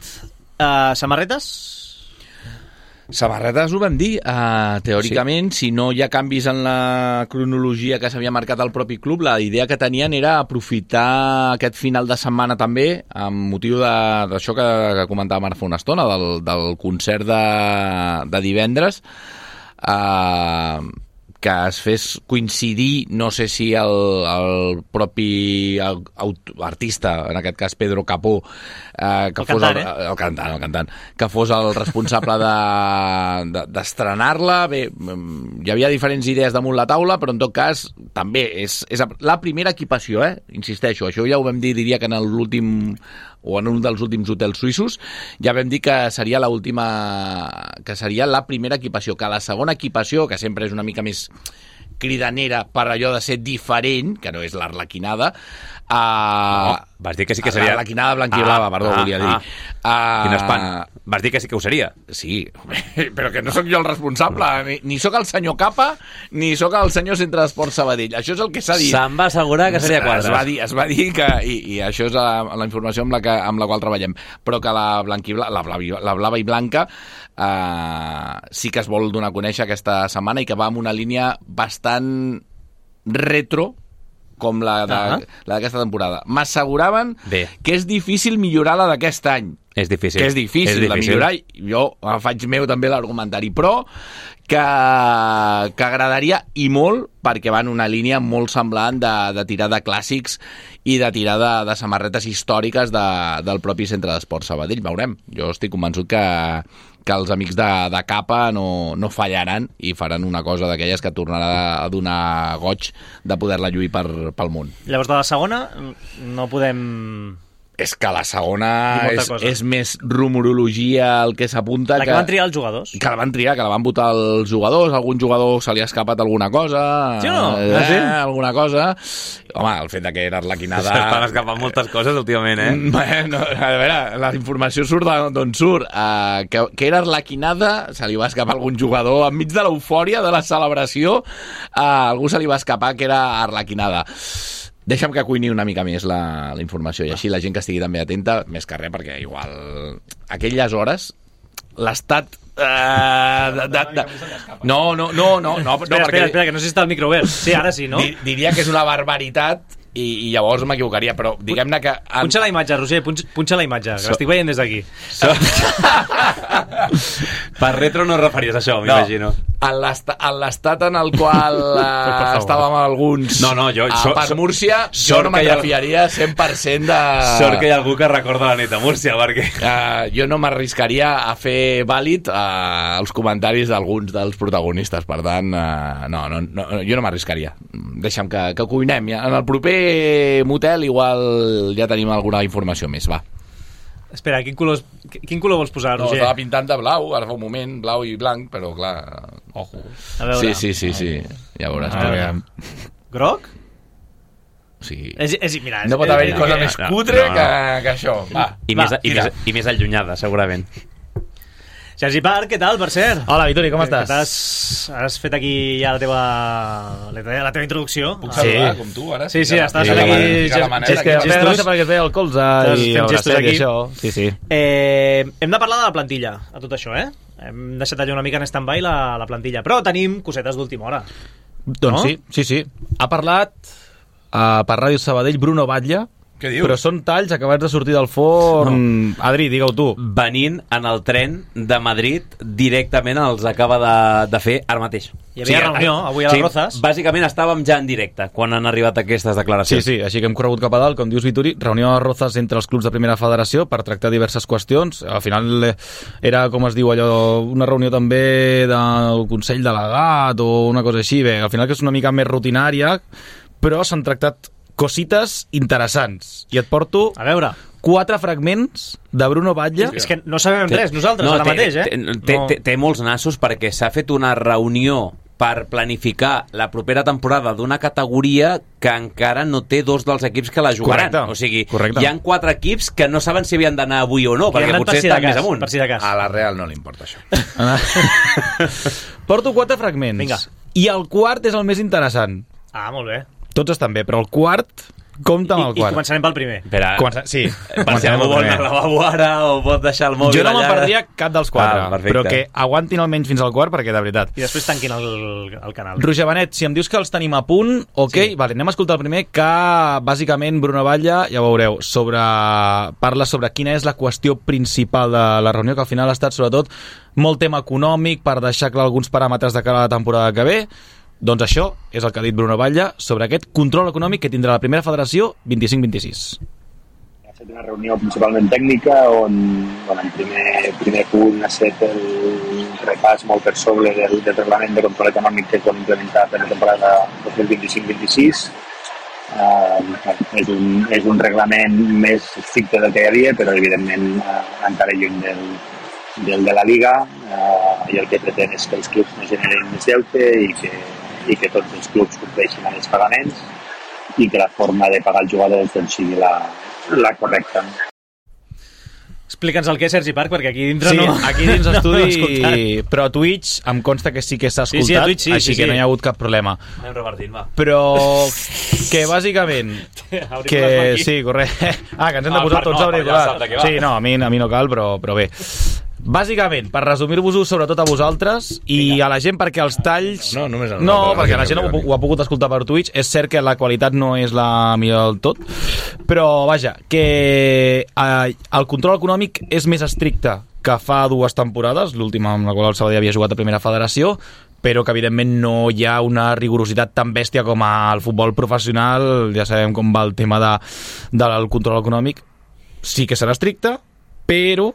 Uh, samarretes? Samarretes ho vam dir, uh, teòricament, sí. Si no hi ha canvis en la cronologia que s'havia marcat al propi club, la idea que tenien era aprofitar aquest final de setmana també, amb motiu d'això que, que comentàvem ara fa una estona, del, del concert de, de divendres, uh, que es fes coincidir, no sé si el, el propi el, el, artista, en aquest cas Pedro Capó, eh, que el fos cantant, el, eh? el cantant, el cantant, que fos el responsable de, de, d'estrenar-la. Bé, hi havia diferents idees damunt la taula, però en tot cas també és, és la primera equipació, eh? Insisteixo, això ja ho vam dir, diria que en l'últim o en un dels últims hotels suïssos, ja vam dir que seria la última, que seria la primera equipació, que la segona equipació, que sempre és una mica més cridanera per allò de ser diferent, que no és l'Arlequinada, uh, no, vas dir que sí que seria... l'Arlequinada blanquiblava, ah, perdó, ah, volia dir. Ah. Uh, Quin espant. Vas dir que sí que ho seria. Sí, però que no sóc jo el responsable, ni, ni sóc el senyor Capa, ni sóc el senyor Centre d'Esport Sabadell. Això és el que s'ha dit. Se'm va assegurar que seria quadres. Es va dir, es va dir que, i, i això és la, la informació amb la, que, amb la qual treballem, però que la, blanquibla, la, blava, la blava i blanca uh, sí que es vol donar a conèixer aquesta setmana i que va amb una línia bastant retro com la d'aquesta uh-huh. temporada. M'asseguraven Bé. que és difícil millorar la d'aquest any. És difícil. Que és difícil, és difícil de millorar. Jo faig meu també l'argumentari, però que, que agradaria i molt, perquè va en una línia molt semblant de, de tirar de clàssics i de tirar de, de samarretes històriques de, del propi Centre d'Esport Sabadell. Veurem. Jo estic convençut que, que els amics de, de Capa no, no fallaran i faran una cosa d'aquelles que tornarà a donar goig de poder-la lluir per, pel món. Llavors, de la segona, no podem... És que la segona és, és més rumorologia el que s'apunta. La que, que van triar els jugadors. Que la van triar, que la van votar els jugadors. Algun jugador se li ha escapat alguna cosa. Sí o no? Eh, ah, sí? Alguna cosa. Home, el fet de que era Arlequinada... S'estan escapant moltes coses últimament, eh? Bueno, a veure, la informació surt d'on surt. Uh, que, que era Arlequinada, se li va escapar algun jugador. Enmig de l'eufòria de la celebració, uh, algú se li va escapar que era Arlequinada. Deixa'm que cuini una mica més la, la informació i així la gent que estigui també atenta, més que res, perquè igual aquelles hores l'estat uh, de, de, de... no, no, no, no, no, espera, no perquè... espera, espera, que no sé si està el micro obert. Sí, ara sí, no? Diria que és una barbaritat i, i llavors m'equivocaria, però diguem-ne que... En... Punxa la imatge, Roger, punxa, punxa la imatge, que so... l'estic veient des d'aquí. So... Per retro no referies això, m'imagino. No. En l'estat en el qual uh, estàvem alguns no, no, jo, so, per so, Múrcia, jo no m'atrafiaria cent per cent de... Sort que hi ha algú que recorda la nit a Múrcia, perquè... Uh, jo no m'arriscaria a fer vàlid uh, els comentaris d'alguns dels protagonistes, per tant, uh, no, no, no, jo no m'arriscaria. Deixa'm que, que cuinem. Ja. En el proper motel igual ja tenim alguna informació més, va. Espera, quin color, quin color vols posar, Roger? No, estava pintant de blau, ara fa un moment, blau i blanc, però clar, ojo. A veure. Sí, sí, sí, sí. Ja veuràs. Ah, groc? Sí. És, és, mira, no és, pot haver-hi és, cosa no, més no, cutre no, no. Que, que això. Va, I, va, més, i, més, I més allunyada, segurament. Sergi Parc, què tal, per cert? Hola, Vituri, com estàs? Has, has fet aquí ja la teva, la teva, la teva introducció. Puc saludar, sí. Com tu, ara? Sí, sí, estàs sí, aquí... Sí, manera, és que em feia gràcia perquè es veia el colze i el bracet i això. Sí, sí. Eh, hem de parlar de la plantilla, a tot això, eh? Hem deixat allò una mica en stand-by la, la plantilla, però tenim cosetes d'última hora. Doncs no? sí, sí, sí. Ha parlat uh, per Ràdio Sabadell Bruno Batlle, Però són talls acabats de sortir del forn. No. Adri, digue-ho tu. Venint en el tren de Madrid, directament els acaba de, de fer ara mateix. Hi havia sí, reunió avui a les sí, Rozas. Bàsicament estàvem ja en directe quan han arribat aquestes declaracions. Sí, sí, així que hem corregut cap a dalt, com dius Vituri, reunió a les Rozas entre els clubs de primera federació per tractar diverses qüestions. Al final era, com es diu allò, una reunió també del Consell Delegat o una cosa així. Bé, al final que és una mica més rutinària, però s'han tractat cosites interessants. I et porto a veure quatre fragments de Bruno Batlle. És que no sabem res nosaltres no, ara té, mateix, eh? Té, té, no. té, té molts nassos perquè s'ha fet una reunió per planificar la propera temporada d'una categoria que encara no té dos dels equips que la jugaran. Correcte. O sigui, Correcte. hi han quatre equips que no saben si havien d'anar avui o no, que perquè potser estan més amunt. Per si de cas. A la Real no li importa això. Porto quatre fragments. Vinga. I el quart és el més interessant. Ah, molt bé. Tots estan bé, però el quart... Compte amb el I, quart. I començarem pel primer. Espera, Comença... Sí, per si algú vol anar al lavabo ara o pot deixar el mòbil jo no allà. me'n perdria cap dels quatre, ah, però que aguantin almenys fins al quart, perquè de veritat. I després tanquin el, el canal. Roger Benet, si em dius que els tenim a punt, ok, sí. Vale, anem a escoltar el primer, que bàsicament Bruno Batlle, ja ho veureu, sobre... parla sobre quina és la qüestió principal de la reunió, que al final ha estat sobretot molt tema econòmic per deixar clar alguns paràmetres de cara a la temporada que ve. Doncs això és el que ha dit Bruno Batlle sobre aquest control econòmic que tindrà la primera federació vint-i-cinc vint-i-sis. Ha fet una reunió principalment tècnica on, on en primer, primer punt ha set el repàs molt per sobre del, del reglament de control econòmic que es vol implementar per la temporada dos mil vint-i-cinc vint-i-sis. Uh, és, un, és un reglament més estricte del que hi havia, però evidentment uh, encara lluny del, del de la Liga, uh, i el que pretén és que els clubs no generin més deute i que i que tots els clubs compleixin amb els pagaments i que la forma de pagar els jugadors doncs, sigui la, la correcta. Explica'ns el que és Sergi Park, perquè aquí dintre sí, no... aquí dins l'estudi, no però a Twitch em consta que sí que s'ha escoltat, sí, sí, a Twitch, sí, així sí, que sí. no hi ha hagut cap problema. Anem repartint, va. Però que bàsicament... que sí, correcte. Ah, que ens hem de posar ah, tots no, auriculars. Sí, no, a mi, a mi no cal, però, però bé. Bàsicament, per resumir-vos-ho sobretot a vosaltres i Vinga. a la gent, perquè els talls... No, només no, no perquè la gent ho, ho ha pogut escoltar per Twitch. És cert que la qualitat no és la millor del tot, però vaja, que eh, el control econòmic és més estricte que fa dues temporades, l'última amb la qual el Sabadell havia jugat a primera federació, però que evidentment no hi ha una rigorositat tan bèstia com al futbol professional. Ja sabem com va el tema de, del control econòmic. Sí que serà estricte, però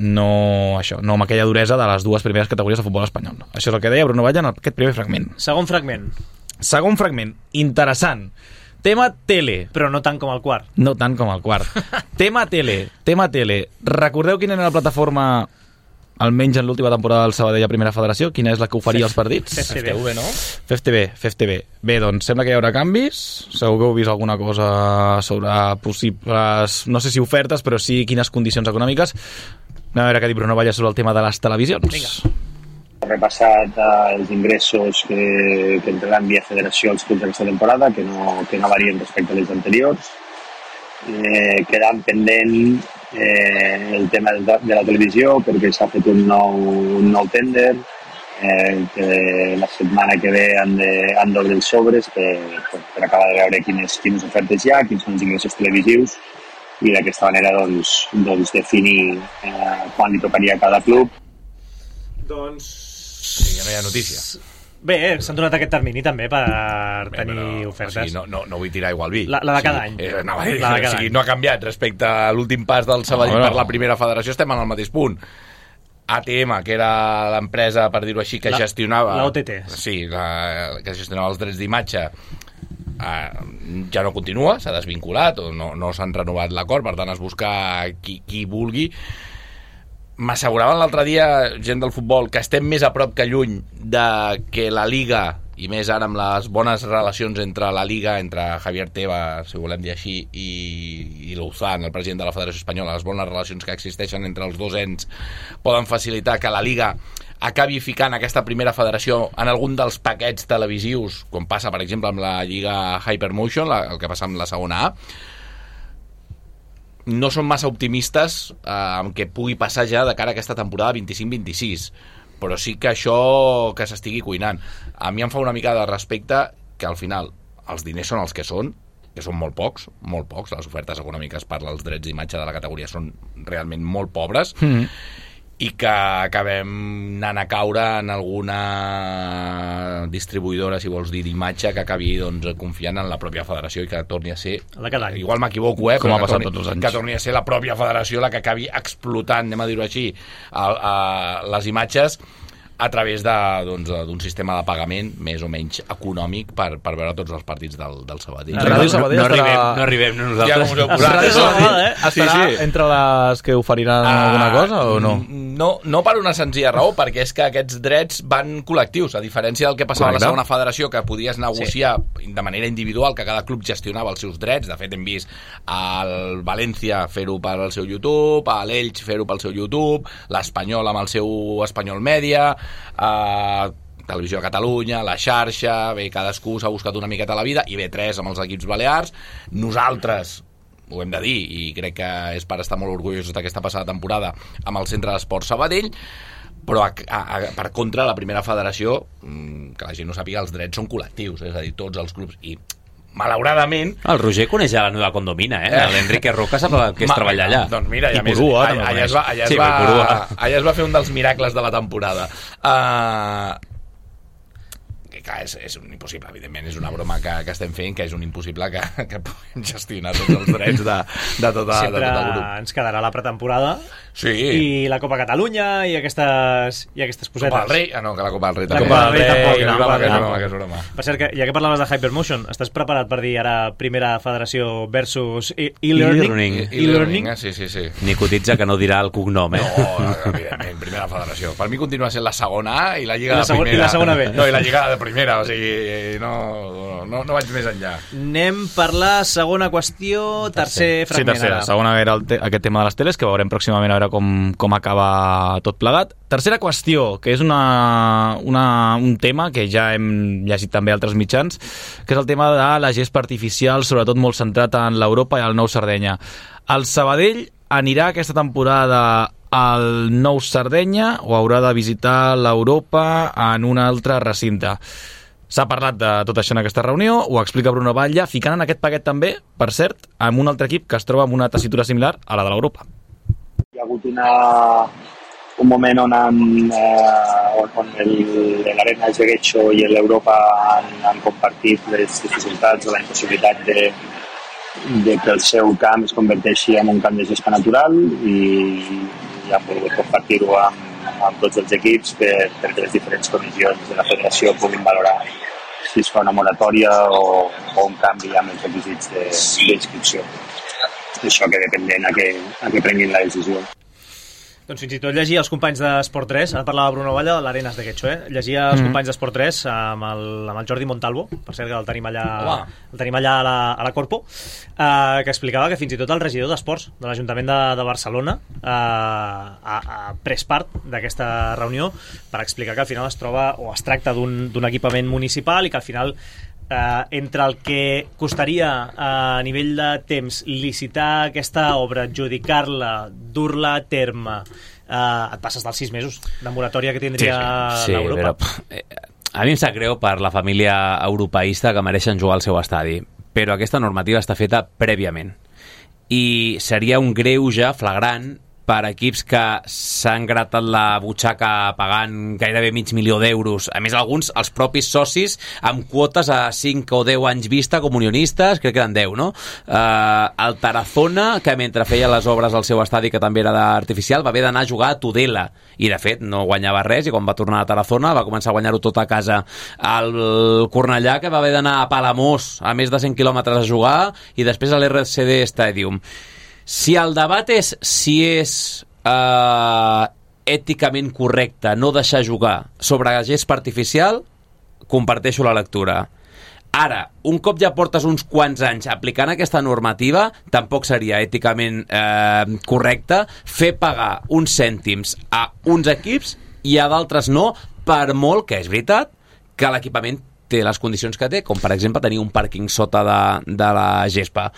no això, no amb aquella duresa de les dues primeres categories de futbol espanyol. Això és el que deia Bruno Batlle en aquest primer fragment. Segon fragment. Segon fragment, interessant. Tema tele. Però no tant com el quart. No tant com el quart. tema tele, tema tele. Recordeu quina era la plataforma, almenys en l'última temporada del Sabadell a primera federació? Quina és la que oferia els partits? F T V, no? F T V, F T V. Bé, doncs sembla que hi haurà canvis. Segur que heu vist alguna cosa sobre possibles, no sé si ofertes, però sí quines condicions econòmiques. Anem a veure què ha dit Bruno Batlle sobre el tema de les televisions. Vinga. Ha repassat uh, els ingressos que, que entraran via federació als clubs d'aquesta temporada, que no, que no varien respecte a les anteriors. Eh, quedant pendent eh, el tema de, de la televisió, perquè s'ha fet un nou, un nou tender, eh, que la setmana que ve han d'obrir els sobres per, per, per acabar de veure quines, quines ofertes hi ha, quins són els ingressos televisius, i d'aquesta manera doncs, doncs definir eh, quan li tocaria a cada club. Doncs... Sí, ja no hi ha notícia. Bé, s'han donat aquest termini també per Bé, tenir però, ofertes. O sigui, no, no, no vull tirar igual vi. La, la de cada sí, any. Eh, no, eh, la de cada o sigui, any. no ha canviat respecte a l'últim pas del Sabadell no, no. per la primera federació, estem en el mateix punt. A T M, que era l'empresa, per dir-ho així, que la, gestionava... La O T T. Sí, la, que gestionava els drets d'imatge, Uh, ja no continua, s'ha desvinculat o no, no s'han renovat l'acord, per tant es busca qui, qui vulgui. M'asseguraven l'altre dia gent del futbol que estem més a prop que lluny de que la Liga, i més ara amb les bones relacions entre la Liga, entre Javier Tebas, si volem dir així, i, i Luzán, el president de la Federació Espanyola, les bones relacions que existeixen entre els dos ens poden facilitar que la Liga acabi ficant aquesta primera federació en algun dels paquets televisius, com passa, per exemple, amb la Lliga Hypermotion, la, el que passa amb la segona A. No són massa optimistes eh, amb què pugui passar ja de cara a aquesta temporada vint-i-cinc vint-i-sis, però sí que això que s'estigui cuinant. A mi em fa una mica de respecte que al final els diners són els que són que són molt pocs, molt pocs, les ofertes econòmiques per als drets d'imatge de la categoria són realment molt pobres, mm-hmm. i que acabem anant a caure en alguna distribuïdora, si vols dir, d'imatge que acabi doncs, confiant en la pròpia federació i que torni a ser... Igual m'equivoco, eh? Com però ha passat torni, tots els anys. Que torni a ser la pròpia federació la que acabi explotant, anem a dir-ho així, a, a les imatges a través de, doncs, d'un sistema de pagament més o menys econòmic per, per veure tots els partits del, del Sabadell. No, no, no, no, arribem, no arribem nosaltres. Ja com us heu posat. Ràdio Sabadell eh? estarà sí, sí. entre les que oferiran uh, alguna cosa o no? no? No per una senzilla raó, perquè és que aquests drets van col·lectius, a diferència del que passava Correcte. a la segona federació, que podies negociar sí. de manera individual, que cada club gestionava els seus drets. De fet, hem vist el València fer-ho pel seu YouTube, l'Elx fer-ho pel seu YouTube, l'Espanyol amb el seu Espanyol Mèdia, Uh, Televisió de Catalunya, la xarxa, bé, cadascú s'ha buscat una miqueta la vida, i B tres amb els equips balears. Nosaltres, ho hem de dir, i crec que és per estar molt orgullosos d'aquesta passada temporada, amb el Centre d'Esport Sabadell, però a, a, a, per contra la primera federació, que la gent no sàpiga, els drets són col·lectius, és a dir, tots els clubs, i malauradament... El Roger coneix a la neva condomina, eh? eh? L'Enrique Roca sap que és treballar allà. Doncs mira, i, I a més, Purua, allà, allà, es va, allà, sí, es va, Purua. allà es va fer un dels miracles de la temporada. Uh, que clar, és, és un impossible, evidentment, és una broma que, que estem fent, que és un impossible que, que puguem gestionar tots els drets de, de, tota, Sempre de tot el grup. ens quedarà la pretemporada sí. i la Copa Catalunya i aquestes, i aquestes cosetes. Copa del Rei? Ah, no, que la Copa del Rei La també. Copa del Rei tampoc, no, no, broma, que és no. broma, que és broma. Per cert, que, ja que parlaves de Hypermotion, estàs preparat per dir ara primera federació versus e- e-learning? E-learning. E-learning, eh? sí, sí, sí. Ni cotitza que no dirà el cognom, eh? No, evidentment, primera federació. Per mi continua sent la segona A i la Lliga I la de segon- primera. i la segona B. No, i la Lliga de primera, o sigui, no, no, no vaig més enllà. Anem per la segona qüestió, tercer Sí, fragment. tercera. ara. Segona era el te aquest tema de les teles, que veurem pròximament a veure com, com acaba tot plegat. Tercera qüestió, que és una, una, un tema que ja hem llegit també a altres mitjans, que és el tema de la gespa artificial, sobretot molt centrat en l'Europa i el Nou Sardenya. El Sabadell anirà aquesta temporada al Nou Sardenya o haurà de visitar l'Europa en un altre recinte? S'ha parlat de tot això en aquesta reunió, ho explica Bruno Batlle, ficant en aquest paquet també, per cert, amb un altre equip que es troba en una tessitura similar a la de l'Europa. Hi ha hagut una, un moment on, han, eh, on, on el, l'Arena de Getxo i l'Europa han, han compartit les dificultats o la impossibilitat de, de que el seu camp es converteixi en un camp de gespa natural, i, i han volgut compartir-ho amb, amb tots els equips per, perquè les diferents comissions de la federació puguin valorar si es fa una moratòria o, o un canvi amb els requisits de, d'inscripció. Això que dependent a que, a que prenguin la decisió. Doncs fins i tot llegia els companys d'Esport tres, ara parlava Bruno Batlle de l'Arenas de Getxo, eh? Llegia els mm-hmm. companys d'Esport tres amb el, amb el Jordi Montalvo, per cert que el tenim allà, el tenim allà a la, a la Corpo, eh, que explicava que fins i tot el regidor d'Esports de l'Ajuntament de, de Barcelona eh, ha, ha pres part d'aquesta reunió per explicar que al final es troba o es tracta d'un, d'un equipament municipal i que al final Uh, entre el que costaria uh, a nivell de temps licitar aquesta obra, adjudicar-la, dur-la a terme, uh, et passes dels sis mesos de moratòria que tindria sí, sí, l'Europa. Però, eh, a mi em sap greu per la família europeista que mereixen jugar al seu estadi, però aquesta normativa està feta prèviament i seria un greuge flagrant per equips que s'han gratat la butxaca pagant gairebé mig milió d'euros. A més, alguns, els propis socis, amb quotes a cinc o deu anys vista com unionistes, crec que eren deu, no? Uh, el Tarazona, que mentre feia les obres al seu estadi, que també era d'artificial, va haver d'anar a jugar a Tudela, i de fet no guanyava res, i quan va tornar a Tarazona va començar a guanyar-ho tot a casa. El Cornellà, que va haver d'anar a Palamós a més de cent quilòmetres a jugar, i després a l'R C D Stadium. Si el debat és si és eh, èticament correcte no deixar jugar sobre gespa artificial, comparteixo la lectura. Ara, un cop ja portes uns quants anys aplicant aquesta normativa, tampoc seria èticament eh, correcte fer pagar uns cèntims a uns equips i a d'altres no, per molt que és veritat que l'equipament té les condicions que té, com per exemple tenir un pàrquing sota de, de la gespa.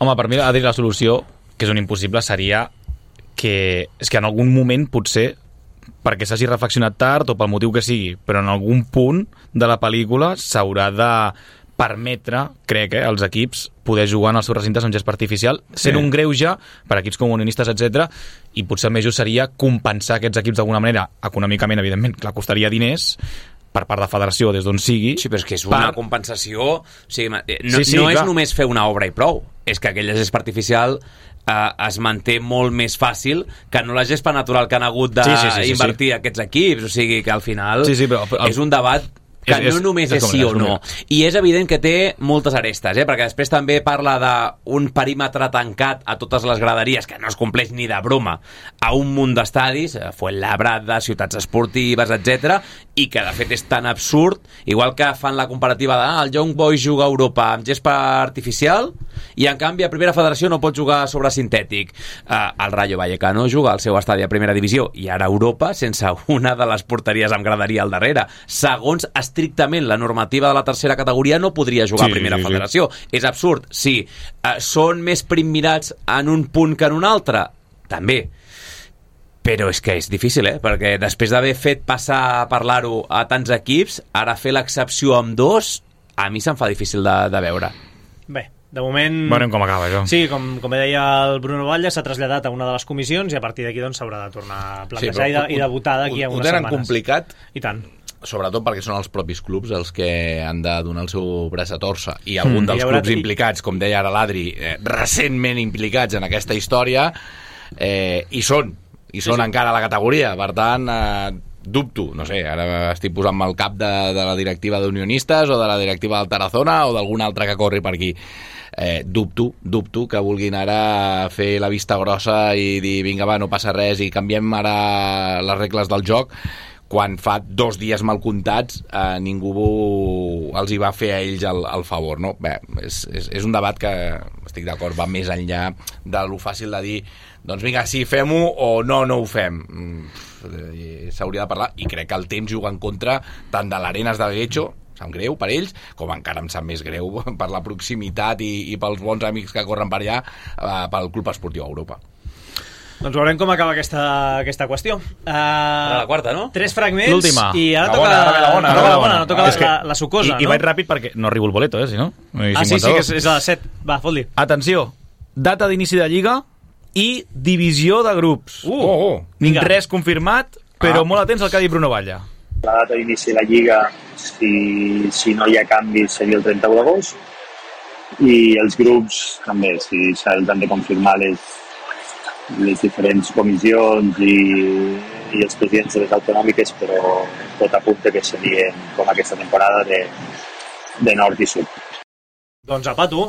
Home, per mi, Adri, la solució, que és un impossible, seria que, és que en algun moment, potser, perquè s'hagi reflexionat tard o pel motiu que sigui, però en algun punt de la pel·lícula s'haurà de permetre, crec, eh, als equips poder jugar en els seus recintes amb gespa artificial, sent sí. un greuge per a equips com Unionistes, etcètera. I potser el més just seria compensar aquests equips d'alguna manera, econòmicament, evidentment, clar, costaria diners, per part de federació, des d'on sigui. Sí, però és que és una per... compensació... O sigui, no sí, sí, no és clar. només fer una obra i prou, és que aquella gespa artificial eh, es manté molt més fàcil que no la gespa natural que han hagut d'invertir sí, sí, sí, sí, sí. aquests equips. O sigui, que al final sí, sí, però, el... és un debat que és, no només és, és, és sí o no. I és evident que té moltes arestes, eh? Perquè després també parla d'un perímetre tancat a totes les graderies, que no es compleix ni de broma, a un munt d'estadis, Fuenlabrada, ciutats esportives, etcètera, i que de fet és tan absurd, igual que fan la comparativa de ah, el Young Boys juga a Europa amb gespa artificial i en canvi a Primera Federació no pot jugar sobre sintètic. Uh, el Rayo Vallecano juga al seu estadi a Primera Divisió i ara a Europa sense una de les porteries amb graderia al darrere. Segons estrictament la normativa de la tercera categoria no podria jugar sí, a Primera sí, Federació. Sí. És absurd, sí. Uh, són més primmirats en un punt que en un altre? També. Però és que és difícil, eh? Perquè després d'haver fet passar a parlar-ho a tants equips, ara fer l'excepció amb dos, a mi se'm fa difícil de, de veure. Bé, de moment... Veurem com acaba, això. Sí, com, com deia el Bruno Batlle, s'ha traslladat a una de les comissions i a partir d'aquí doncs, s'haurà de tornar a plantejar sí, i, de, i de votar d'aquí a unes setmanes. Ho tenen complicat. I tant. Sobretot perquè són els propis clubs els que han de donar el seu braç a torça i algun mm, dels haurà... clubs implicats, com deia ara l'Adri, eh, recentment implicats en aquesta història, eh, hi són i són sí, sí. encara a la categoria, per tant eh, dubto, no sé, ara estic posant-me al cap de, de la directiva d'Unionistes o de la directiva del Tarazona o d'algun altre que corri per aquí. Eh, dubto, dubto que vulguin ara fer la vista grossa i dir vinga va, no passa res i canviem ara les regles del joc, quan fa dos dies mal comptats eh, ningú els hi va fer a ells el, el favor, no? Bé, és, és, és un debat que, estic d'acord, va més enllà de lo fàcil de dir doncs vinga, sí, fem-ho o no, no ho fem. S'hauria de parlar i crec que el temps juga en contra tant de l'Arenas de Guecho, sap greu per ells, com encara em sap més greu per la proximitat i, i pels bons amics que corren per allà eh, pel Club Esportiu Europa. Doncs veurem com acaba aquesta, aquesta qüestió. Uh, la quarta, no? Tres fragments. L'última. I ara la toca bona, la, la, bona, no, la, la, bona. no toca la, que, la, la sucosa, i, no? I vaig ràpid perquè no arribo el boleto, eh, si no? Ah, sí, sí, que és, és a les set. Va, fot-li. Atenció, data d'inici de Lliga i divisió de grups. Uh, oh, oh. Vinga. Res confirmat, però ah. molt atents al que ha dit Bruno Batlle. La data d'inici de la Lliga, si, si no hi ha canvis, seria el trenta-u d'agost. I els grups, també, si se'ls han de confirmar les, les diferents comissions i, i els presidents de les autonòmiques, però tot apunta que serien, com aquesta temporada, de, de nord i sud. Doncs apa, tu.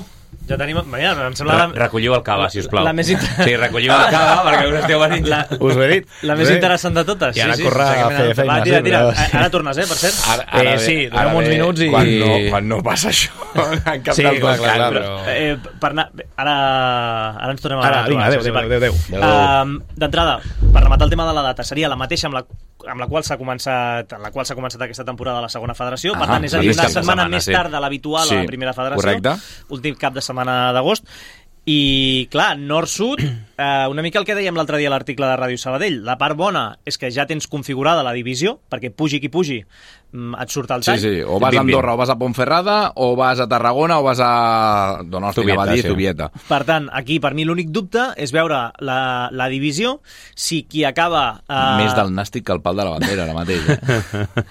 Ja tenim... Mira, em sembla... La... Recolliu el cava, sisplau. La més inter... Sí, recolliu el cava, perquè us esteu venint. La... Us ho he dit. La més interessant de totes. I ara sí, corre sí, a fer feina. Va, tira, tira. Sí, ara tornes, eh, per cert. Ara, ara eh, sí, donem uns minuts i... Quan no, quan no passa això, en cap sí, dels clar, dos clar, casos. però... Eh, per anar... Ara, ara ens tornem a... Ara, vinga, adéu, adéu, adéu, adéu. Uh, D'entrada, per rematar el tema de la data, seria la mateixa amb la amb la qual s'ha començat en la qual s'ha començat aquesta temporada a la segona federació. Per ah, tant, és a dir, una setmana, setmana més sí. tard de l'habitual sí, a la primera federació. Correcte. Últim cap de setmana d'agost. I, clar, nord-sud, eh, una mica el que dèiem l'altre dia a l'article de Ràdio Sabadell. La part bona és que ja tens configurada la divisió, perquè pugi qui pugi, et surt el tall. Sí, sí, o vas a Andorra o vas a Ponferrada, o vas a Tarragona o vas a... Donosti, Zubieta, dir, sí. Zubieta. Per tant, aquí per mi l'únic dubte és veure la, la divisió, si qui acaba... Eh... Més del nàstic que el pal de la bandera, ara mateix. Eh?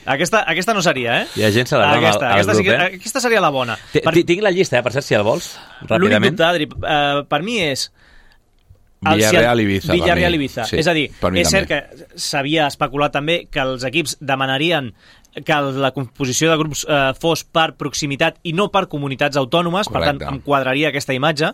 Aquesta, aquesta no seria, eh? Hi ha gent celebrant aquesta, el, el aquesta, grup, sí, eh? Aquesta seria la bona. Per... Tinc la llista, eh, per cert, si el vols, ràpidament. L'únic dubte, Adri, uh, per mi és... Villarreal-Ibiza. Villarreal-Ibiza. Sí, és a dir, és també. cert que s'havia especulat també que els equips demanarien que la composició de grups eh, fos per proximitat i no per comunitats autònomes. Correcte. Per tant, em quadraria aquesta imatge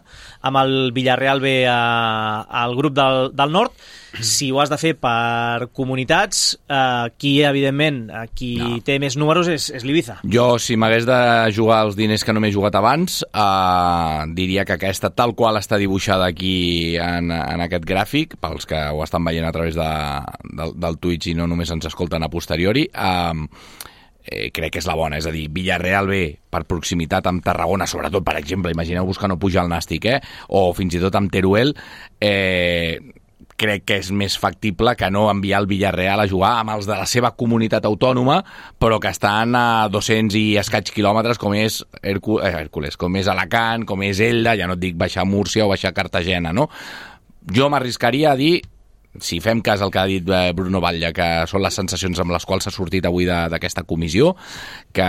amb el Villarreal B a, al grup del, del nord. Si ho has de fer per comunitats, eh, qui, evidentment, qui no. té més números és, és l'Ibiza. Jo, si m'hagués de jugar els diners que no m'he jugat abans, eh, diria que aquesta, tal qual està dibuixada aquí en, en aquest gràfic, pels que ho estan veient a través de, del, del Twitch i no només ens escolten a posteriori, eh, eh, crec que és la bona. És a dir, Villarreal B per proximitat amb Tarragona, sobretot, per exemple, imagineu-vos que no puja el Nàstic, eh? O fins i tot amb Teruel, eh, crec que és més factible que no enviar el Villarreal a jugar amb els de la seva comunitat autònoma, però que estan a dos-cents i escaig quilòmetres, com és Hércu- eh, Hèrcules, com és Alacant, com és Elda, ja no et dic baixar a Múrcia o baixar a Cartagena, no? Jo m'arriscaria a dir, si fem cas al que ha dit Bruno Batlle, que són les sensacions amb les quals s'ha sortit avui d'aquesta comissió, que,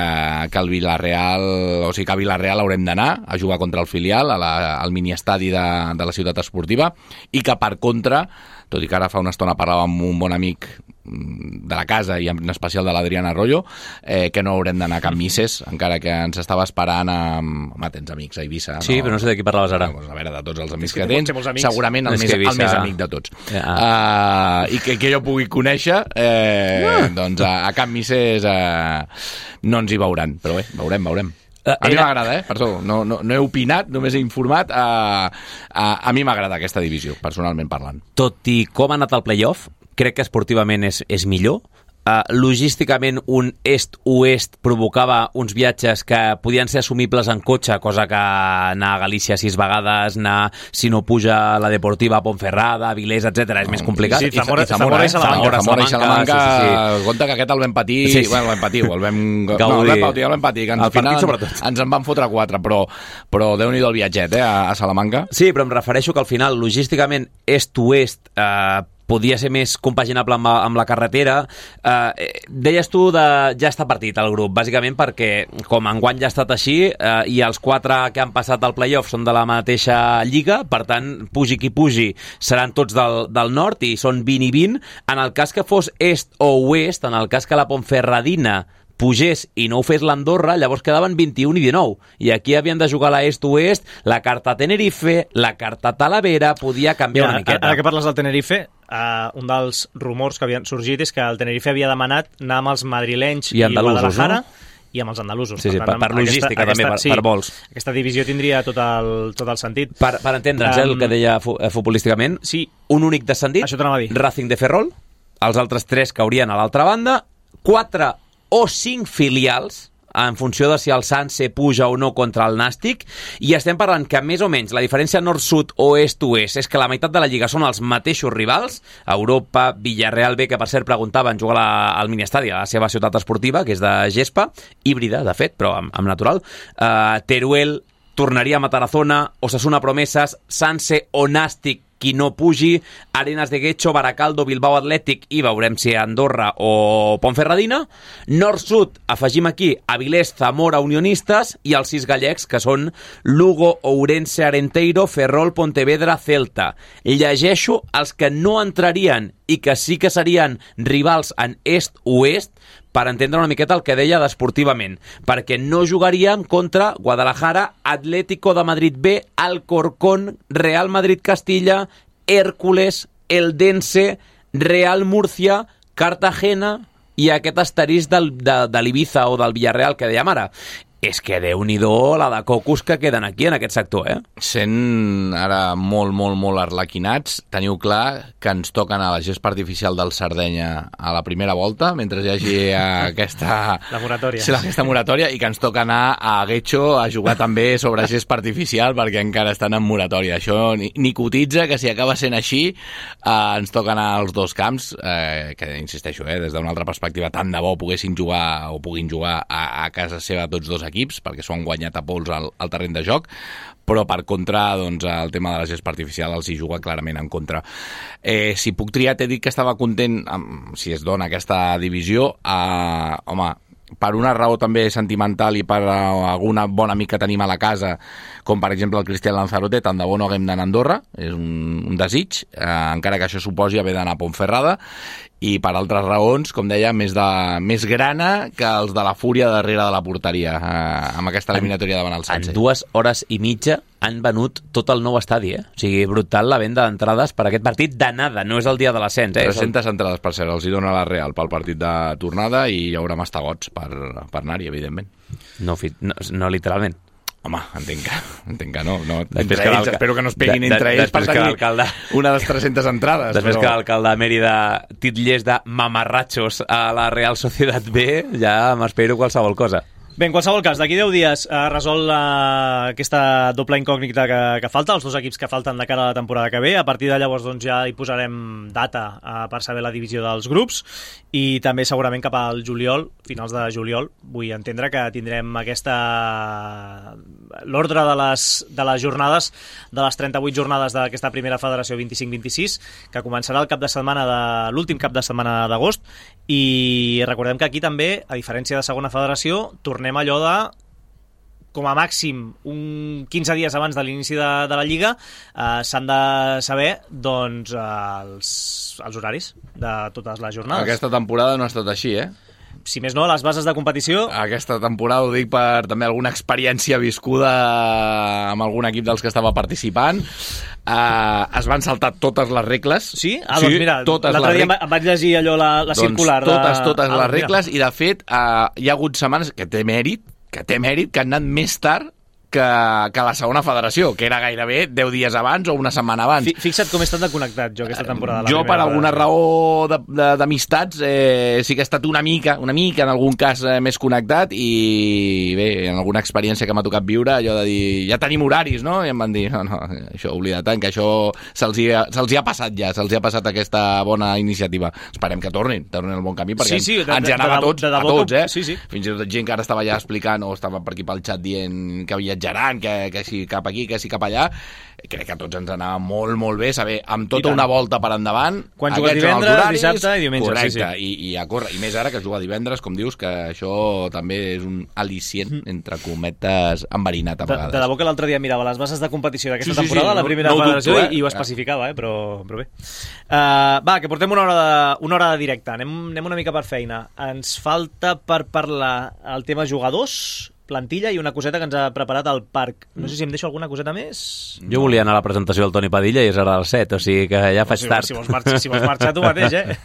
que el Villarreal, o sigui que a Villarreal haurem d'anar a jugar contra el filial, a la, al miniestadi de, de la ciutat esportiva, i que per contra, tot i que ara fa una estona parlava amb un bon amic de la casa i en especial de l'Adrián Arroyo, eh, que no haurem d'anar a Can Misses, encara que ens estava esperant amb... Home, tens amics a Eivissa. Sí, no? però no sé de qui parlaves ara. No, a veure, de tots els amics És que que, té tens, molts amics. segurament el, És més, que Eivissa- el més amic de tots. Ja. Uh, I que, que jo pugui conèixer, eh, ah. doncs a, a Can Misses eh, no ens hi veuran, però bé, veurem, veurem. Uh, a mi era... m'agrada, eh? Perdó, no, no, no he opinat, només he informat. Uh, uh, a mi m'agrada aquesta divisió, personalment parlant. Tot i com ha anat el playoff, crec que esportivament és, és millor. Uh, logísticament un est-oest provocava uns viatges que podien ser assumibles en cotxe, cosa que anar a Galícia sis vegades, anar, si no puja la Deportiva a Ponferrada, a Vilés, etcètera, és més complicat. Sí, Zamora- I Zamora, Zamora i Salamanca. Zamora, Zamora i Salamanca, sí, sí, sí. compte que aquest el vam patir, Sí, sí. bueno, el vam patir, el vam... Gaudir. No, el vam patir, el vam patir, que El al final partit, sobretot. ens en van fotre quatre, però, però Déu-n'hi-do el viatget, eh, a, a Salamanca. Sí, però em refereixo que al final, logísticament, est-oest eh, podia ser més compaginable amb, amb la carretera. Eh, deies tu de ja està partit el grup, bàsicament perquè com enguany ja ha estat així eh, i els quatre que han passat al playoff són de la mateixa lliga, per tant, pugi qui pugi, seran tots del, del nord i són vint i vint. En el cas que fos est o oest, en el cas que la Ponferradina pugés i no ho fes l'Andorra, llavors quedaven vint-i-un i dinou. I aquí havien de jugar la est-oest, la carta Tenerife, la carta Talavera, podia canviar Mira, una miqueta. Ara que parles del Tenerife, uh, un dels rumors que havien sorgit és que el Tenerife havia demanat anar amb els madrilenys I i, andalusos, Guadalajara no? i amb els andalusos. Sí, sí, per- per amb logística també, per- per vols. Aquesta divisió tindria tot el, tot el sentit. Per, per entendre'ns, um, el que deia fu- eh, futbolísticament, Sí, un únic descendit, això t'anava a dir. Racing de Ferrol, els altres tres caurien a l'altra banda, quatre o cinc filials, en funció de si el Sanse puja o no contra el Nàstic, i estem parlant que més o menys la diferència nord-sud o est-oest és que la meitat de la Lliga són els mateixos rivals, Europa, Villarreal B, que per cert preguntaven jugar la, al miniestadi, a la seva ciutat esportiva, que és de gespa, híbrida, de fet, però amb, amb natural, uh, Teruel tornaria a Matarazona, Osasuna Promesas, Sanse o Nàstic, qui no pugi, Arenas de Guecho, Baracaldo, Bilbao Atlètic i veurem si Andorra o Ponferradina. Nord-sud, afegim aquí Avilés, Zamora, Unionistes i els sis gallecs, que són Lugo, Ourense, Arenteiro, Ferrol, Pontevedra, Celta. Llegeixo els que no entrarien i que sí que serien rivals en est-oest, per entendre una miqueta el que deia d'esportivament, perquè no jugaríem contra Guadalajara, Atlético de Madrid B, Alcorcón, Real Madrid Castilla, Hércules, Eldense, Real Murcia, Cartagena i aquest asterisc del, de, de l'Ibiza o del Villarreal que dèiem ara. És que Déu-n'hi-do la de cocos que queden aquí en aquest sector, eh? Sent ara molt, molt, molt arlequinats, teniu clar que ens toquen a la gespa artificial del Sardenya a la primera volta, mentre hi hagi aquesta... La moratòria. Sí, aquesta moratòria, i que ens toca anar a Guecho a jugar també sobre gespa artificial perquè encara estan en moratòria. Això ni, ni cotitza, que si acaba sent així eh, ens toquen als dos camps, eh, que insisteixo, eh, des d'una altra perspectiva, tant de bo poguessin jugar o puguin jugar a, a casa seva tots dos equips, perquè s'ho han guanyat a pols al, al terreny de joc, però per contra, doncs, el tema de la gespa artificial els hi juga clarament en contra. Eh, si puc triar, t'he dit que estava content amb, si es dona aquesta divisió, eh, home, per una raó també sentimental i per algun bon amic que tenim a la casa, com per exemple el Cristian Lanzarote, tant de bo no haguem d'anar a Andorra, és un, un desig, eh, encara que això suposi haver d'anar a Ponferrada, i per altres raons, com deia, més, de, més grana que els de la fúria darrere de la porteria, eh, amb aquesta eliminatòria davant el Sanse. En dues hores i mitja han venut tot el nou estadi, eh? O sigui, brutal la venda d'entrades per aquest partit d'anada, no és el dia de l'ascens, eh? tres-centes entrades, per cert, els hi dona la Real pel partit de tornada i hi haurà mastegots per, per anar-hi, evidentment. No, no, no literalment. Home, entenc que, entenc que no. no. Després entre que ells, espero que no es peguin de, entre de, ells per que tenir una de les tres-centes entrades. Després però... que l'alcalde de Mèrida titllés de mamarratxos a la Real Societat B, ja m'espero qualsevol cosa. Bé, en qualsevol cas, d'aquí deu dies eh, resol la, aquesta doble incògnita que, que falta, els dos equips que falten de cara a la temporada que ve. A partir de llavors doncs, ja hi posarem data eh, per saber la divisió dels grups i també segurament cap al juliol, finals de juliol, vull entendre que tindrem aquesta l'ordre de les, de les jornades, de les trenta-vuit jornades d'aquesta primera federació vint-i-cinc vint-i-sis, que començarà el cap de setmana de l'últim cap de setmana d'agost, i recordem que aquí també, a diferència de segona federació, tornem allò de com a màxim un quinze dies abans de l'inici de, de la Lliga eh, s'han de saber doncs, els, els horaris de totes les jornades. Aquesta temporada no ha estat així, eh? Si més no, les bases de competició... Aquesta temporada ho dic per també alguna experiència viscuda amb algun equip dels que estava participant. Uh, es van saltar totes les regles. Sí? Ah, doncs mira, l'altre dia em vaig llegir allò, la, la doncs circular. Totes, totes de... les ah, regles, i de fet uh, hi ha hagut setmanes que té mèrit, que té mèrit, que han anat més tard que, que la segona federació, que era gairebé deu dies abans o una setmana abans. Fixa't com he estat de connectat jo aquesta temporada. Jo, per alguna raó d'amistats, eh, sí que he estat una mica, una mica en algun cas eh, més connectat, i bé, en alguna experiència que m'ha tocat viure, allò de dir, ja tenim horaris, no? I em van dir, no, no, això oblida't, que això se'ls hi, ha, se'ls hi ha passat ja, se'ls hi ha passat aquesta bona iniciativa. Esperem que tornin, tornin al bon camí, perquè sí, sí, de, ens hi anava a tots, de, de, de a tots, eh? Sí, sí. Fins i tot gent que ara estava ja explicant, o estava per aquí pel xat dient que viatjaran, que, que si cap aquí, que si cap allà. Crec que a tots ens anava molt, molt bé saber, amb tota una volta per endavant, quan jugues divendres, horaris, dissabte i diumenge. Correcte, sí, sí. I, i a córrer. I més ara que es juga divendres, com dius, que això també és un al·licient, entre cometes, enverinat a vegades. De, de debò que l'altre dia mirava les bases de competició d'aquesta sí, sí, temporada, sí, la primera no, no federació, dubto, eh? i, i ho especificava, eh? però, però bé. Uh, va, que portem una hora de, una hora de directe. Anem, anem una mica per feina. Ens falta per parlar el tema jugadors, plantilla i una coseta que ens ha preparat el Parc. No sé si em deixo alguna coseta més. Jo volia anar a la presentació del Toni Padilla i és ara a les set, o sigui que ja faig si, tard. Si vols, marxar, si vols marxar tu mateix, eh?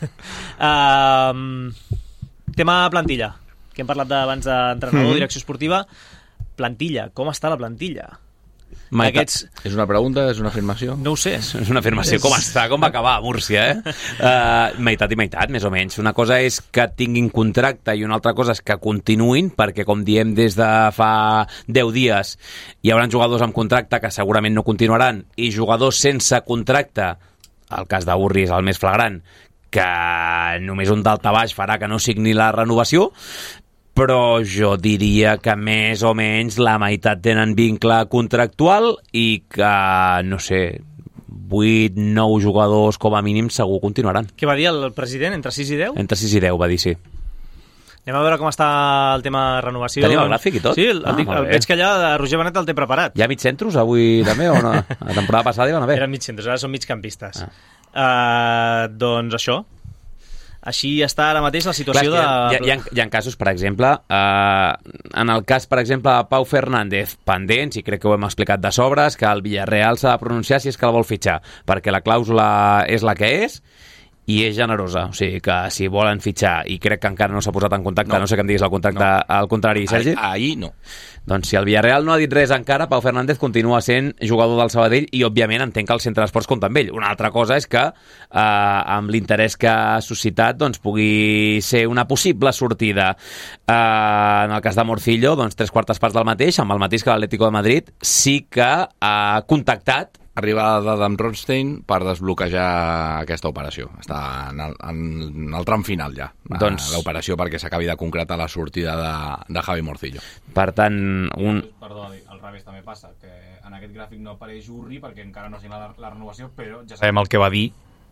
Uh, tema plantilla, que hem parlat abans d'entrenador, mm-hmm. direcció esportiva. Plantilla, com està la plantilla? Aquests... És una pregunta, és una afirmació? No ho sé. És una afirmació. Com està? Com va acabar a Múrcia, eh? Uh, meitat i meitat, més o menys. Una cosa és que tinguin contracte i una altra cosa és que continuïn, perquè, com diem des de fa deu dies, hi haurà jugadors amb contracte que segurament no continuaran, i jugadors sense contracte, el cas d'Urri és el més flagrant, que només un daltabaix farà que no signi la renovació, però jo diria que més o menys la meitat tenen vincle contractual i que, no sé, vuit nou jugadors com a mínim segur continuaran. Què va dir el president, entre sis i deu? Entre sis i deu va dir, sí. Anem a veure com està el tema renovació. Tenim el gràfic i tot? Sí, el, ah, el, el veig que allà Roger Benet el té preparat. Hi ha mig centros avui també o no? La temporada passada hi van haver. Eren mig centros, ara són mig campistes. Ah. Uh, doncs això. Així està ara mateix la situació. Clar, de... Hi ha, hi, ha, hi ha casos, per exemple, eh, en el cas, per exemple, de Pau Fernández, pendents, i crec que ho hem explicat de sobres, que el Villarreal s'ha de pronunciar si és que la vol fitxar, perquè la clàusula és la que és, i és generosa, o sigui que si volen fitxar, i crec que encara no s'ha posat en contacte, no, no sé què em diguis el contacte, no. Al contrari, Sergi? Ahir, ahir no. Doncs si el Villarreal no ha dit res encara, Pau Fernández continua sent jugador del Sabadell i, òbviament, entenc que el Centre d'Esports compta amb ell. Una altra cosa és que, eh, amb l'interès que ha suscitat, doncs, pugui ser una possible sortida. Eh, en el cas de Morcillo, doncs, tres quartes parts del mateix, amb el mateix que l'Atlético de Madrid, sí que ha contactat arribada d'Adam Ronstein per desbloquejar aquesta operació. Està en el, en el tram final ja, doncs... l'operació, perquè s'acabi de concretar la sortida de, de Javi Morcillo. Per tant, un... Perdó, al revés també passa, que en aquest gràfic no apareix Urri perquè encara no ha signat la, la renovació, però ja sabem el que va dir.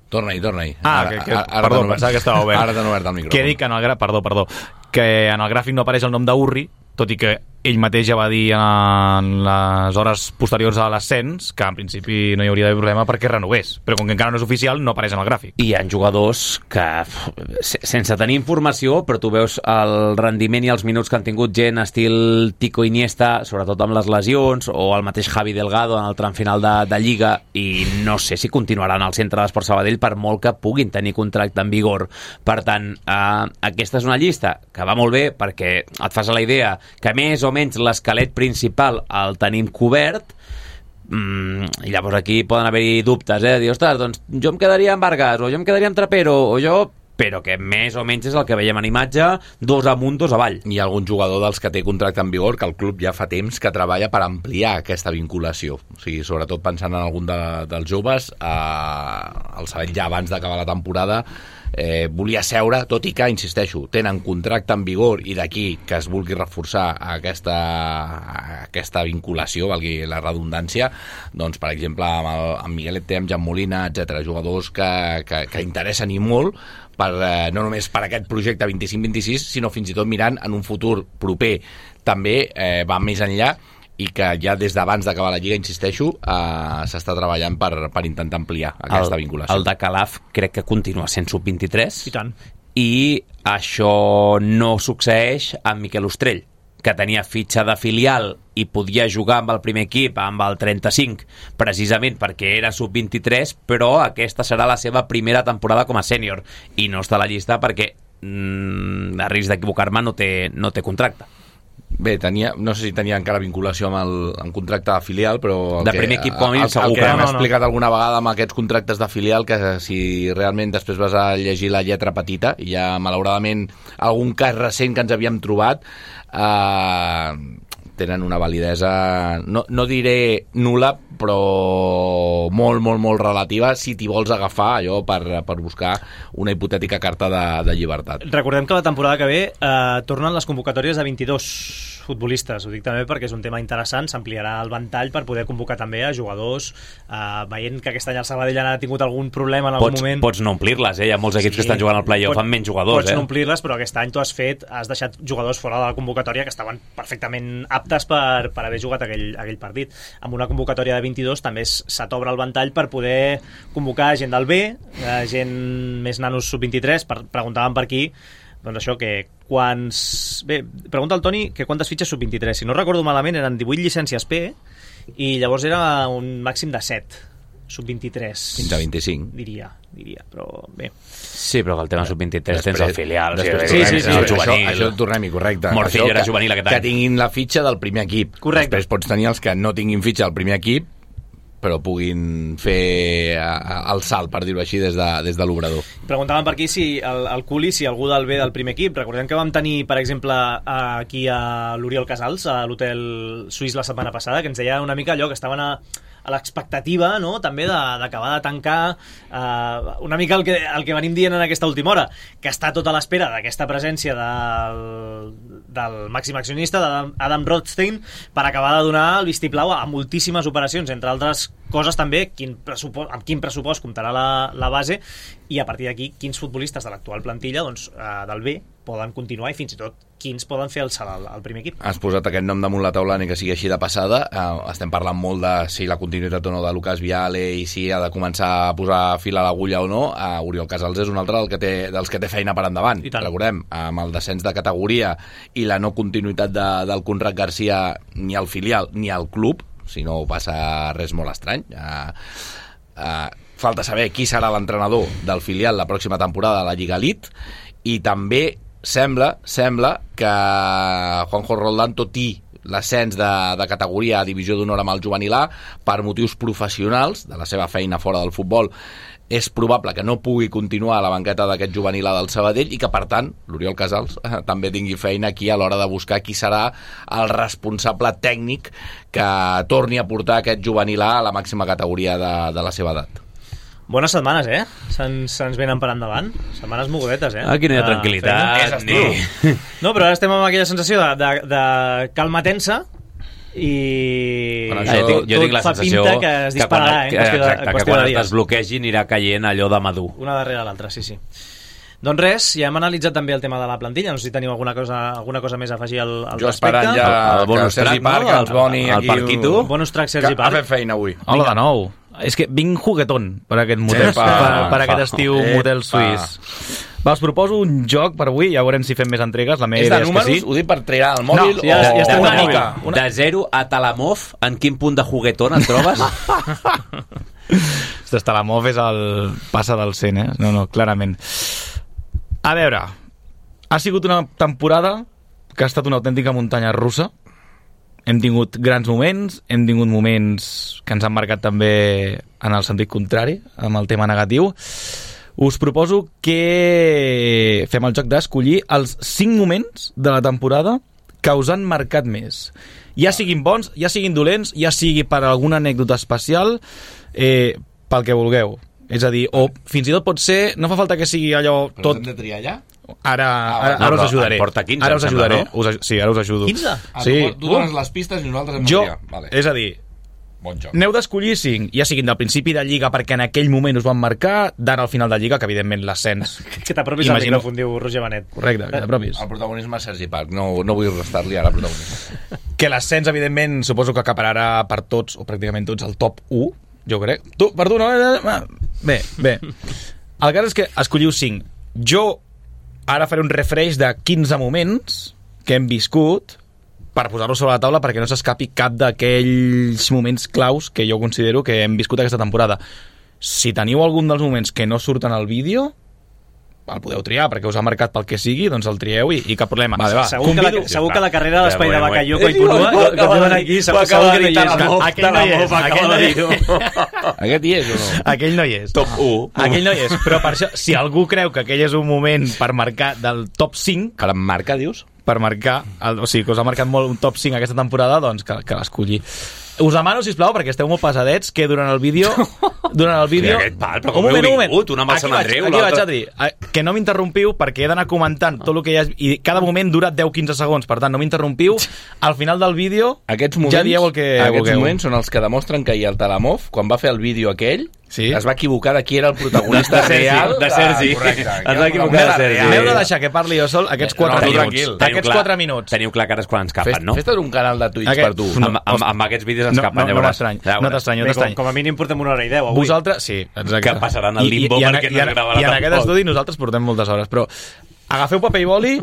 Torna-hi, torna-hi. Ah, ara, que, que, ara, perdó, ara pensava que estava obert. Ara t'han obert el micròfon. Que dic que en el, perdó, perdó, que en el gràfic no apareix el nom d'Urri, tot i que ell mateix ja va dir en les hores posteriors a l'ascens que en principi no hi hauria d'haver problema perquè renoves, però com que encara no és oficial no apareix en el gràfic. I hi ha jugadors que, sense tenir informació, però tu veus el rendiment i els minuts que han tingut gent estil Tico Iniesta, sobretot amb les lesions, o el mateix Javi Delgado en el tram final de, de Lliga, i no sé si continuaran al Centre d'Esports Sabadell per molt que puguin tenir contracte en vigor. Per tant, eh, aquesta és una llista que va molt bé perquè et fas la idea que més o menys l'esquelet principal el tenim cobert, mm, i llavors aquí poden haver-hi dubtes, eh? Dir, ostres, doncs jo em quedaria amb Vargas, o jo em quedaria amb Trapero, o jo... però que més o menys és el que veiem en imatge, dos amunt, dos avall. Hi ha algun jugador dels que té contracte en vigor que el club ja fa temps que treballa per ampliar aquesta vinculació. O sigui, sobretot pensant en algun de, dels joves, eh, el sabem ja abans d'acabar la temporada, eh, volia seure, tot i que, insisteixo, tenen contracte en vigor i d'aquí que es vulgui reforçar aquesta, aquesta vinculació, valgui la redundància, doncs, per exemple, amb, el, amb Miguel Ete, amb Jan Molina, etcètera, jugadors que, que, que interessen i molt, per, eh, no només per aquest projecte vint-i-cinc vint-i-sis, sinó fins i tot mirant en un futur proper també eh, va més enllà i que ja des d'abans d'acabar la Lliga, insisteixo, eh, s'està treballant per, per intentar ampliar aquesta el, vinculació. El de Calaf crec que continua sent sub vint-i-tres. I tant. I això no succeeix amb Miquel Ostrell, que tenia fitxa de filial i podia jugar amb el primer equip, amb el trenta-cinc, precisament perquè era sub vint-i-tres, però aquesta serà la seva primera temporada com a sènior i no està a la llista perquè, mm, a risc d'equivocar-me, no té, no té contracte. Bé, tenia, no sé si tenia encara vinculació amb el amb contracte de filial, però... De primer equip com a mínim segur el que que hem no, no. explicat alguna vegada amb aquests contractes de filial, que si realment després vas a llegir la lletra petita, hi ha malauradament algun cas recent que ens havíem trobat, eh, tenen una validesa, no, no diré nul·la, però molt, molt, molt relativa si t'hi vols agafar allò per, per buscar una hipotètica carta de, de llibertat. Recordem que la temporada que ve eh, tornen les convocatòries de vint-i-dos futbolistes, ho dic també perquè és un tema interessant, s'ampliarà el ventall per poder convocar també a jugadors, eh, veient que aquest any el Sabadell ha tingut algun problema en algun Pots, moment. pots no omplir-les, eh? Hi ha molts equips sí, que estan jugant al play-off amb menys jugadors. Pots eh? no omplir-les, però aquest any tu has fet, has deixat jugadors fora de la convocatòria que estaven perfectament aptes per, per haver jugat aquell, aquell partit. Amb una convocatòria de vint-i-dos també se t'obre el ventall per poder convocar gent del B, eh, gent més nanos sub vint-i-tres, per, preguntaven per aquí, doncs això, que quants... Bé, pregunta el Toni que quantes fitxes sub vint-i-tres. Si no recordo malament, eren divuit llicències P i llavors era un màxim de set sub vint-i-tres. Fins a vint-i-cinc. Diria, diria, però bé. Sí, però que el tema sub vint-i-tres tens el filial. Després, sí, sí, sí, sí, el sí, juvenil. Això, això tornem-hi, correcte. Morcillo això era que, juvenil aquest any. Que tinguin la fitxa del primer equip. Correcte. Després pots tenir els que no tinguin fitxa del primer equip, però puguin fer el salt, per dir-ho així, des de, des de l'obrador. Preguntaven per aquí si el, el Culi, si algú del B del primer equip. Recordem que vam tenir, per exemple, aquí a l'Oriol Casals, a l'hotel suís la setmana passada, que ens deia una mica allò que estaven a, a l'expectativa, no?, també d'acabar de, de tancar eh, una mica el que, el que venim dient en aquesta última hora, que està tot a l'espera d'aquesta presència del, del màxim accionista, d'Adam Rothstein, per acabar de donar el vistiplau a moltíssimes operacions, entre altres coses també, quin pressupost, amb quin pressupost comptarà la, la base, i a partir d'aquí quins futbolistes de l'actual plantilla, doncs, eh, del B poden continuar i fins i tot quins poden fer el salt al, al primer equip. Has posat aquest nom damunt la taula, ni que sigui així de passada. Uh, estem parlant molt de si la continuïtat o no de Lucas Viale i si ha de començar a posar fil a l'agulla o no. Uh, Oriol Casals és un altre del que té, dels que té feina per endavant. Recordem, amb el descens de categoria i la no continuïtat de, del Conrad Garcia ni al filial ni al club, si no passa res molt estrany. Uh, uh, falta saber qui serà l'entrenador del filial la pròxima temporada de la Lliga Elite, i també sembla, sembla que Juanjo Roldán, tot i l'ascens de, de categoria a divisió d'honor amb el juvenil A, per motius professionals de la seva feina fora del futbol, és probable que no pugui continuar a la banqueta d'aquest juvenil A del Sabadell i que, per tant, l'Oriol Casals eh, també tingui feina aquí a l'hora de buscar qui serà el responsable tècnic que torni a portar aquest juvenil A a la màxima categoria de, de la seva edat. Bones setmanes, eh? Se'ns se venen per endavant. Setmanes mogudetes, eh? Aquí no hi ha tranquil·litat. Uh, ni... No, però ara estem amb aquella sensació de, de, de calma tensa i bueno, això, tot, jo, jo tinc la fa sensació pinta que es dispararà, que quan, eh? En qüestió de, exacte, en que quan de es dies. desbloquegi anirà caient allò de madur. Una darrere l'altra, sí, sí. Doncs res, ja hem analitzat també el tema de la plantilla. No sé si teniu alguna cosa, alguna cosa més a afegir al, al jo respecte. esperant ja el, el bonus que Sergi track, Parc, no? els Boni el, aquí... el Parquito. Bonus track Sergi que Parc. ha fet feina avui. Hola de nou. És que vinc juguetón per aquest motel, Epa, per, per aquest fa, estiu epa. motel suís. Va, us proposo un joc per avui, ja veurem si fem més entregues. La meva És de idea és números? que sí. Ho dic per triar el mòbil? No, ja- o... ja estem una al mica? mòbil. Una... De zero a Talamov, en quin punt de juguetón et trobes? Des de la M O F és el passa del cent, eh? No, no, clarament. A veure, ha sigut una temporada que ha estat una autèntica muntanya russa. Hem tingut grans moments, hem tingut moments que ens han marcat també en el sentit contrari, amb el tema negatiu. us proposo que fem el joc d'escollir els cinc moments de la temporada que us han marcat més. Ja siguin bons, ja siguin dolents, ja sigui per alguna anècdota especial, eh, pel que vulgueu. És a dir, o fins i tot pot ser, no fa falta que sigui allò Però tot... hem de triar ja? Ara, ara, no, ara us però ajudaré. en porta quinze, Ara us em sembla, ajudaré. no? Us, sí, ara us ajudo. quinze? Ah, Sí. tu, tu dones les pistes i nosaltres hem de Jo, triar. Vale. és a dir, Bon joc. n'heu d'escollir cinc, ja siguin del principi de Lliga perquè en aquell moment us van marcar, d'ara al final de Lliga, que evidentment l'ascens. Que t'apropis al Imagino- micròfon, diu Roger Benet. Correcte, que t'apropis. El protagonisme és Sergi Parc. No, no vull restar-li ara protagonisme. Que l'ascens, evidentment, suposo que acapararà per tots, o pràcticament tots, el top u, jo crec. Tu, per tu, no? Bé, bé. El cas és que escolliu cinc. Jo ara faré un refresh de quinze moments que hem viscut per posar-lo sobre la taula perquè no s'escapi cap d'aquells moments claus que jo considero que hem viscut aquesta temporada. Si teniu algun dels moments que no surten al vídeo, el podeu triar, perquè us ha marcat pel que sigui, doncs el trieu i, i cap problema. Vale, va. Segur, que la, Convido- segur que la carrera de l'espai de Bueno, Bacalló bueno. continua, Ho que acaba diuen de aquí, dir, segur ho acaba segur que no de hi dir, és. la Mof, Aquell no la hi és, Mof acaba aquell no de hi dir-ho. Aquest hi és o no? Aquell no hi és. Top u. Aquell no hi és, però per això, si algú creu que aquell és un moment per marcar del top cinc, Que em marca, dius? per marcar, el, o sigui, que us ha marcat molt un top cinc aquesta temporada, doncs que, que l'escolli. Us demano, sisplau, perquè esteu molt pesadets, que durant el vídeo... Durant el vídeo... Aquest pal, però com heu vingut? Un amb el Aquí Sant vaig, Andreu, aquí vaig, l'altre- Adri. Eh, Que no m'interrompiu perquè he d'anar comentant tot el que hi ha... I cada moment dura deu a quinze segons, per tant, no m'interrompiu. Al final del vídeo Aquests moments, ja dieu el que aquests vulgueu. moments són els que demostren que ahir el Talamov, quan va fer el vídeo aquell, Sí. es va equivocar de qui era el protagonista De Sergi, real. de Sergi. Ah, correcte. Es va Qui era el equivocar de protagonista Sergi. real. M'heu de deixar que parli jo sol aquests No, quatre tu minuts. tranquil. Teniu Aquests clar- quatre minuts. Teniu clar que ara és quan ens capen, Fes, no? Fes-te un canal de Twitch Aquest- per tu. No, Amb, amb, amb aquests vídeos ens No, capen, no, ja no veuràs. m'estrany, Ja no veuràs. t'estrany, no Bé, com, t'estrany. com a mínim portem una hora i deu avui. Vosaltres, sí, exacte. Que passaran al limbo I, i, perquè i, no en- es gravarà I en aquest tampoc. estudi nosaltres portem moltes hores, però agafeu paper i boli,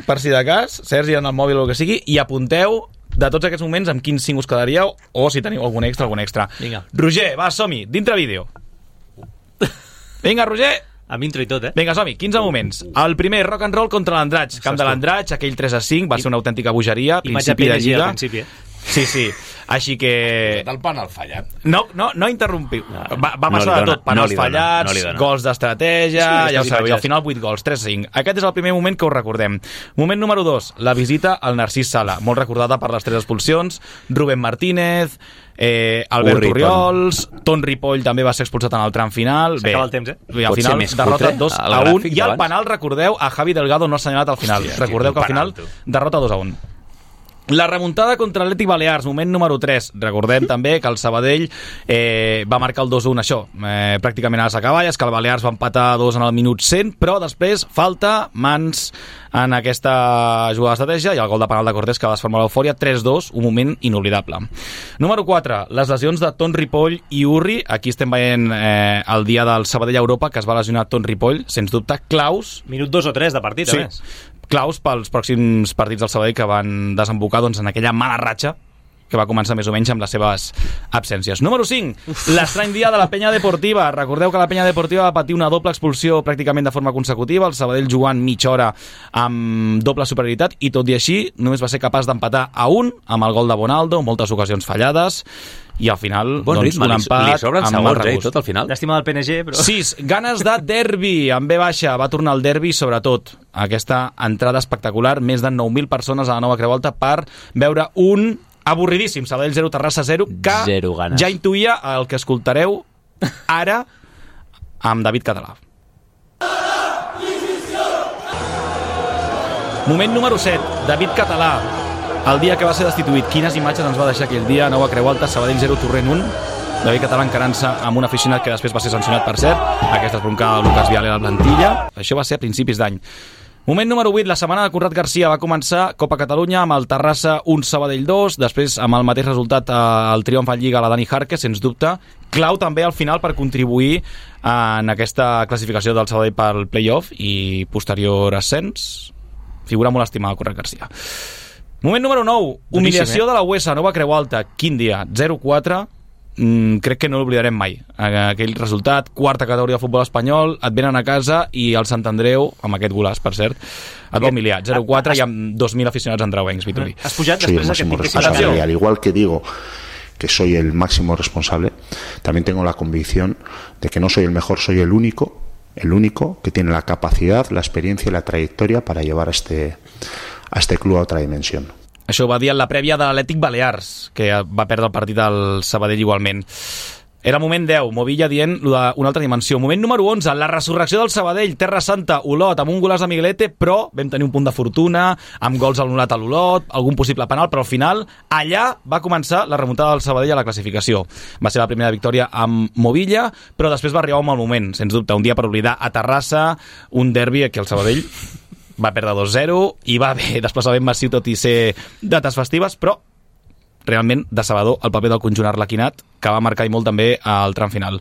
per si de cas, Sergi en el mòbil o el que sigui, i apunteu de tots aquests moments amb quins cinc us quedaríeu, o si teniu algun extra, algun extra. Vinga. Roger, va, som-hi, dintre vídeo. Vinga, Roger. Amb intro i tot, eh? Vinga, som-hi, quinze moments. El primer, rock and roll contra l'Andratx. Camp de l'Andratx, aquell tres a cinc, va ser una autèntica bogeria, Imatge principi de P N G lliga. al principi, eh? Sí, sí. Així que... Del penal fallat. No, no, no interrompiu. Va, va No passar li de dona, tot. Penals no li dona, fallats, no li dona. gols d'estratègia, Sí, ja ho aquestes sabeu, i al imatges. final vuit gols, tres a cinc. Aquest és el primer moment que us recordem. Moment número dos, la visita al Narcís Sala, molt recordada per les tres expulsions, Rubén Martínez, eh, Albert Urri, Orriols, Ton Ripoll també va ser expulsat en el tram final. S'acaba el temps, eh? I al Pot ser final, més derrota cutre, dos el a un. gràfic I al d'abans? penal, recordeu, a Javi Delgado no ha assenyalat al final. Hòstia, Recordeu que al quin final, penal, tu. derrota dos a un. La remuntada contra l'Atlètic Balears, moment número tres. Recordem també que el Sabadell eh, va marcar el dos a un, això, eh, pràcticament a les acaballes, que el Balears va empatar dos en el minut cent, però després falta mans en aquesta jugada d'estratègia i el gol de penal de Cortés que va desformar l'eufòria, tres a dos, un moment inoblidable. Número quatre, les lesions de Ton Ripoll i Urri. Aquí estem veient eh, el dia del Sabadell a Europa, que es va lesionar Ton Ripoll, sens dubte, claus Minut dos o tres de partit, Sí, a més. claus pels pròxims partits del Sabadell que van desembocar doncs, en aquella mala ratxa que va començar més o menys amb les seves absències. Número cinc, l'estrany dia de la Penya Deportiva. Recordeu que la Penya Deportiva va patir una doble expulsió pràcticament de forma consecutiva, el Sabadell jugant mitja hora amb doble superioritat, i tot i així només va ser capaç d'empatar a un amb el gol de Bonaldo, moltes ocasions fallades, i al final Bon doncs, ritme, un li, empat li sobren amb segons, mal eh, i regust. tot al final. Llàstima del P N G, però... sis, ganes de derbi, amb B baixa, va tornar el derbi, sobretot aquesta entrada espectacular, més de nou mil persones a la nova Creu Alta per veure un avorridíssim Sabadell zero, Terrassa zero, que Zero ganes. ja intuïa el que escoltareu ara amb David Català. Moment número set, David Català, el dia que va ser destituït. Quines imatges ens va deixar aquell dia? Nova Creu Alta, Sabadell zero, Torrent un. David Català encarant-se amb un aficionat que després va ser sancionat, per cert. Aquesta esbroncada del Lucas Viale a la plantilla. Això va ser a principis d'any. Moment número vuit, la setmana de Conrad Garcia va començar Copa Catalunya amb el Terrassa un, Sabadell dos, després amb el mateix resultat el triomf en Lliga a la Dani Jarque, sens dubte. Clau també al final per contribuir en aquesta classificació del Sabadell pel play-off i posterior ascens. Figura molt estimada Conrad Garcia. Moment número nou, humiliació eh? de la U E S A, Nova Creu Alta. Quin dia? zero quatre. Mm, crec que no l'oblidarem mai. Aquell resultat, quarta categoria de futbol espanyol, et venen a casa i el Sant Andreu, amb aquest golaç, per cert, et va humiliar. zero quatre i amb dos mil aficionats andreuencs, Vitori. Has pujat Soy el després máximo d'aquest responsable Atención. y al igual que digo que soy el máximo responsable, también tengo la convicción de que no soy el mejor, soy el único el único que tiene la capacidad, la experiencia y la trayectoria para llevar a este, a este club a otra dimensión. Això ho va dir en la prèvia de l'Atlètic Balears, que va perdre el partit al Sabadell igualment. Era el moment deu, Movilla dient una altra dimensió. Moment número onze, la resurrecció del Sabadell, Terra Santa, Olot, amb un golaç de Miguelete, però vam tenir un punt de fortuna, amb gols anul·lat a l'Olot, algun possible penal, però al final allà va començar la remuntada del Sabadell a la classificació. Va ser la primera victòria amb Movilla, però després va arribar un mal moment, sens dubte, un dia per oblidar a Terrassa, un derbi que el Sabadell va perdre dos zero i va haver desplaçament massiu tot i ser dates festives, però realment decebedor el paper del conjunt arlequinat, que va marcar i molt també al tram final.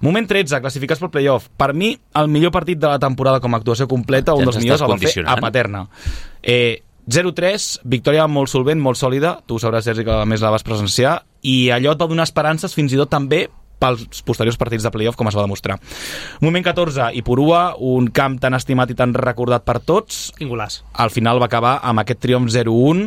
Moment tretze, classificats pel playoff. Per mi, el millor partit de la temporada com a actuació completa, un ja dels millors el va fer a Paterna. Eh, zero tres, victòria molt solvent, molt sòlida, tu ho sabràs, Sergi, que a més la vas presenciar, i allò et va donar esperances fins i tot també pels posteriors partits de playoff, com es va demostrar. Moment catorze, Ipurua, un camp tan estimat i tan recordat per tots. Quin golaç. Al final va acabar amb aquest triomf zero un,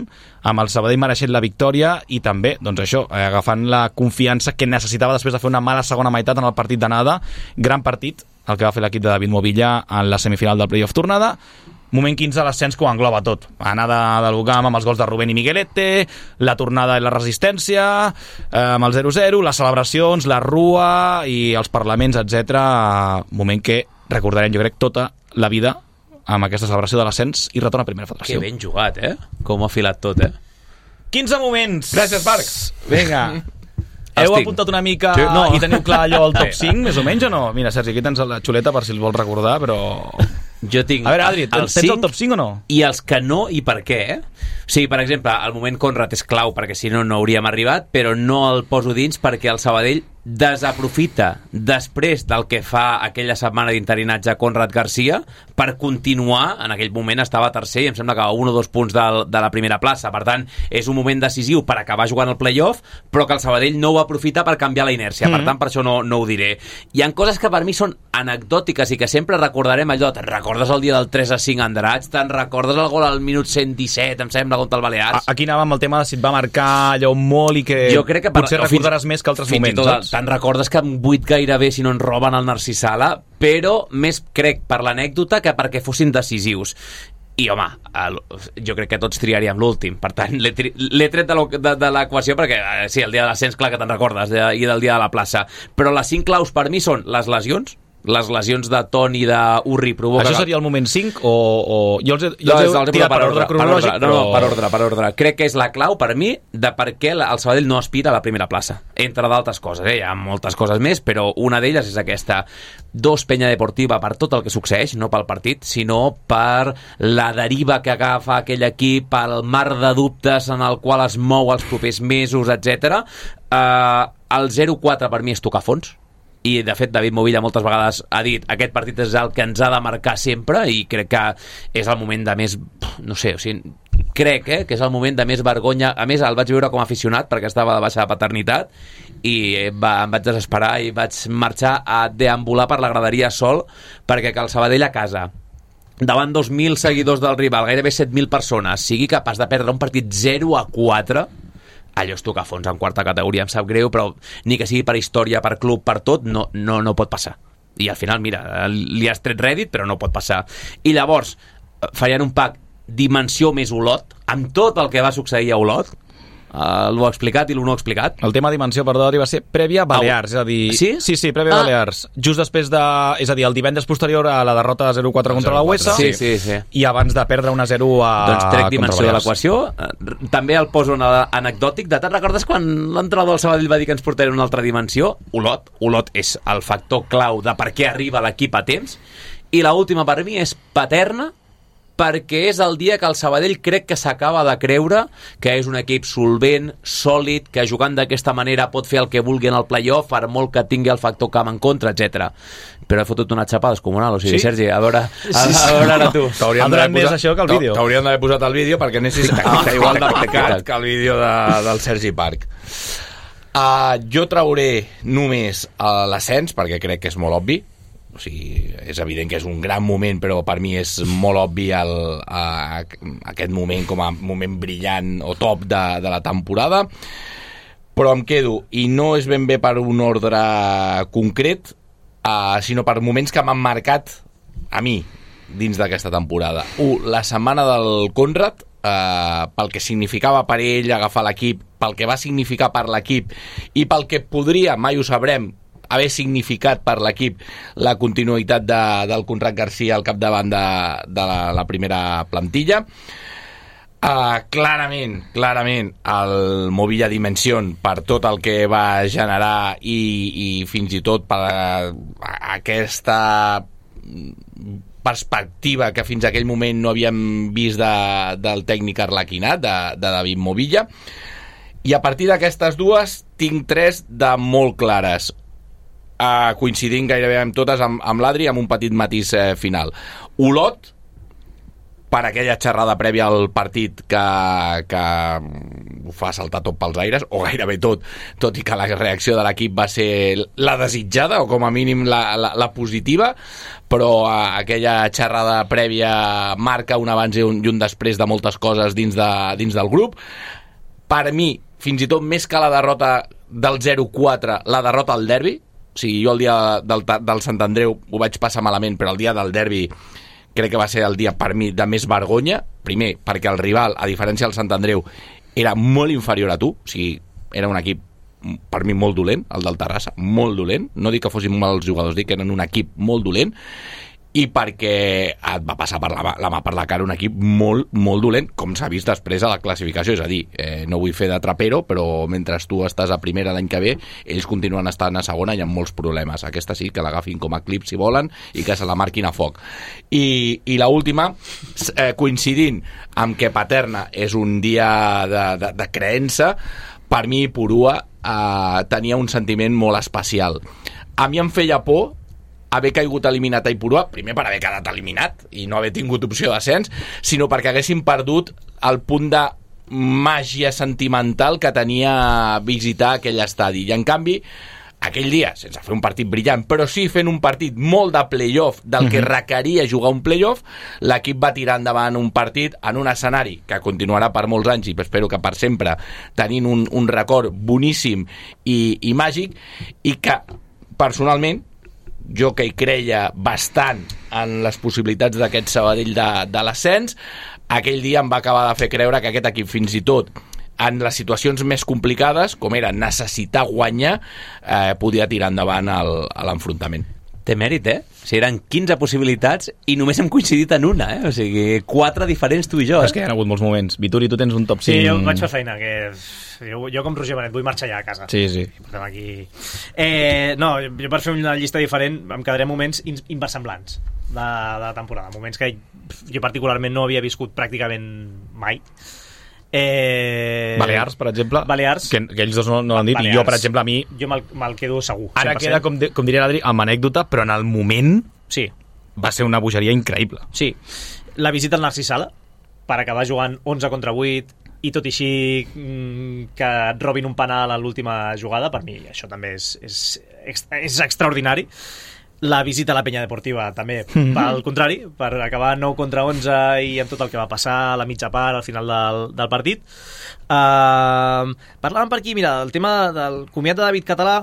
amb el Sabadell mereixent la victòria i també, doncs això, eh, agafant la confiança que necessitava després de fer una mala segona meitat en el partit d'anada. Gran partit, el que va fer l'equip de David Movilla en la semifinal del playoff tornada. Moment quinze, l'ascens que ho engloba tot. Anada de l'Ugam amb els gols de Rubén i Miguelete, la tornada i la resistència, eh, amb el zero zero, les celebracions, la rua i els parlaments, etcètera. Moment que recordarem, jo crec, tota la vida amb aquesta celebració de l'ascens i retorn a primera federació. Que ben jugat, eh? Com ha filat tot, eh? quinze moments! Gràcies, Parcs! Vinga. Heu Estic. apuntat una mica Sí. no. i teniu clar allò al top cinc, més o menys, o no? Mira, Sergi, aquí tens la xuleta per si el vols recordar, però... Jo tinc A veure, Adri, tens el, el top cinc o no? I els que no, i per què? Eh? Sí, per exemple, el moment Conrad és clau, perquè si no, no hauríem arribat, però no el poso dins perquè el Sabadell desaprofita després del que fa aquella setmana d'interinatge Conrad Garcia per continuar, en aquell moment estava tercer i em sembla que a un o dos punts del, de la primera plaça, per tant és un moment decisiu per acabar jugant el playoff, però que el Sabadell no ho aprofita per canviar la inèrcia, mm-hmm. per tant per això no, no ho diré. Hi ha coses que per mi són anecdòtiques i que sempre recordarem allò, te'n recordes el dia del tres a cinc a Andratx, te'n recordes el gol al minut cent disset, em sembla, contra el Balears. Aquí anàvem el tema de si et va marcar allò molt i que, jo crec que per, potser recordaràs fins, més que altres fins moments, tot, saps? Te'n recordes que en vuit gairebé si no en roben el Narcís Sala, però més crec per l'anècdota que perquè fossin decisius. I, home, el, jo crec que tots triaríem l'últim. Per tant, l'he, tri, l'he tret de l'equació perquè, eh, sí, el dia de l'ascens, clar que te'n recordes, de, i del dia de la plaça. Però les cinc claus per mi són les lesions, les lesions de Ton i d'Urri provoquen... Això seria el moment cinc o... o... Jo els he, jo no, els he tirat per, per ordre cronològic, per ordre, però... No, no, per ordre, per ordre. Crec que és la clau, per mi, de per què el Sabadell no aspira a la primera plaça. Entre d'altres coses, eh? Hi ha moltes coses més, però una d'elles és aquesta. Dos, penya deportiva per tot el que succeeix, no pel partit, sinó per la deriva que agafa aquell equip, pel mar de dubtes en el qual es mou els propers mesos, etcètera. Uh, el zero quatre per mi és tocar fons, i de fet David Movilla moltes vegades ha dit aquest partit és el que ens ha de marcar sempre i crec que és el moment de més, no sé, o sigui, crec eh, que és el moment de més vergonya. A més el vaig veure com a aficionat perquè estava de baixa de paternitat i va, em vaig desesperar i vaig marxar a deambular per la graderia sol perquè que el Sabadell a casa davant dos mil seguidors del rival, gairebé set mil persones, sigui capaç de perdre un partit zero a quatre, allò és tocar fons en quarta categoria, em sap greu, però ni que sigui per història, per club, per tot, no, no, no pot passar. I al final, mira, li has tret rèdit, però no pot passar. I llavors, farien un pack dimensió més Olot, amb tot el que va succeir a Olot, Uh, l'ho ha explicat i l'ho no ha explicat. El tema dimensió, perdó, va ser prèvia a Balears, és a dir... Sí? Sí, sí, prèvia a ah. Balears. Just després de... És a dir, el divendres posterior a la derrota de zero quatre contra la U E S A, sí, sí, sí. i abans de perdre un a zero a... Doncs trec dimensió de l'equació. També el poso en anecdòtic. De te'n recordes quan l'entrenador del Sabadell va dir que ens portarà una altra dimensió? Olot. Olot és el factor clau de per què arriba l'equip a temps. I l'última per mi és Paterna, perquè és el dia que el Sabadell crec que s'acaba de creure que és un equip solvent, sòlid, que jugant d'aquesta manera pot fer el que vulgui en el playoff, per molt que tingui el factor camp en contra, etcètera. Però he fotut una xapada descomunal, o sigui, sí? Sergi, a veure, a, a, a veure ara tu. T'haurien d'haver posat, això que el vídeo. T'haurien d'haver posat el vídeo perquè anessis ah, igual de pecat que el vídeo de, del Sergi Parc. Uh, jo trauré només uh, l'ascens, perquè crec que és molt obvi. O sigui, és evident que és un gran moment, però per mi és molt obvi el, a, aquest moment com a moment brillant o top de, de la temporada. Però em quedo, i no és ben bé per un ordre concret, uh, sinó per moments que m'han marcat a mi dins d'aquesta temporada. Un, la setmana del Conrad, uh, pel que significava per ell agafar l'equip, pel que va significar per l'equip i pel que podria, mai ho sabrem, haver significat per l'equip la continuïtat de, del Conrad Garcia al capdavant de, de la, la primera plantilla. Uh, clarament, clarament el Movilla Dimension per tot el que va generar i, i fins i tot per uh, aquesta perspectiva que fins a aquell moment no havíem vist de, del tècnic arlequinat, de, de David Movilla. I a partir d'aquestes dues tinc tres de molt clares, Uh, coincidint gairebé amb totes amb, amb l'Adri, amb un petit matís eh, final. Olot, per aquella xerrada prèvia al partit que, que ho fa saltar tot pels aires, o gairebé tot, tot i que la reacció de l'equip va ser la desitjada, o com a mínim la, la, la positiva, però uh, aquella xerrada prèvia marca un abans i un, i un després de moltes coses dins, de, dins del grup. Per mi, fins i tot més que la derrota del zero quatre, la derrota al derbi. O sigui, jo el dia del, del Sant Andreu ho vaig passar malament, però el dia del derbi crec que va ser el dia per mi de més vergonya. Primer, perquè el rival, a diferència del Sant Andreu, era molt inferior a tu. O sigui, era un equip per mi molt dolent, el del Terrassa, molt dolent. No dic que fossin mals jugadors, dic que eren un equip molt dolent. I perquè et va passar per la, la mà per la cara un equip molt, molt dolent, com s'ha vist després a la classificació. És a dir, eh, no vull fer de trapero, però mentre tu estàs a primera l'any que ve, ells continuen estant a segona i amb molts problemes. Aquesta sí, que l'agafin com a clip si volen i que se la marquin a foc. I, i l'última, eh, coincidint amb que Paterna és un dia de, de, de creença, per mi Purua eh, tenia un sentiment molt especial. A mi em feia por haver caigut eliminat a Ipurua, primer per haver quedat eliminat i no haver tingut opció d'ascens, sinó perquè haguéssim perdut el punt de màgia sentimental que tenia visitar aquell estadi. I en canvi, aquell dia, sense fer un partit brillant, però sí fent un partit molt de play-off, del que requeria jugar un play-off, l'equip va tirar endavant un partit en un escenari que continuarà per molts anys i espero que per sempre, tenint un, un record boníssim i, i màgic, i que personalment jo que hi creia bastant en les possibilitats d'aquest Sabadell de, de l'ascens, aquell dia em va acabar de fer creure que aquest equip fins i tot en les situacions més complicades, com era necessitar guanyar, eh, podia tirar endavant el, l'enfrontament. Té mèrit, eh? O sigui, eren quinze possibilitats i només hem coincidit en una, eh? O sigui, quatre diferents tu i jo. Eh? És que hi ha hagut molts moments. Vituri, tu tens un top cinc... Sí, jo vaig fer feina, que jo, jo com Roger Benet vull marxar ja a casa. Sí, sí. Portem aquí... Eh, no, jo per fer una llista diferent em quedaré moments inversemblants de, de la temporada. Moments que jo particularment no havia viscut pràcticament mai. Eh... Balears, per exemple. Balears. Que, que ells dos no, no l'han dit. Balears. I jo, per exemple, a mi... Jo me'l, me'l quedo segur. Ara cent per cent. queda, com, de, com diria l'Adri, amb anècdota, però en el moment sí. va ser una bogeria increïble. Sí. La visita al Narcís Sala, per acabar jugant onze contra vuit, i tot i així que et robin un penal a l'última jugada, per mi això també és, és, és extraordinari. La visita a la Penya Deportiva també, pel contrari, per acabar nou contra onze i amb tot el que va passar a la mitja part, al final del, del partit. Uh, parlàvem per aquí, mira, el tema del comiat de David Català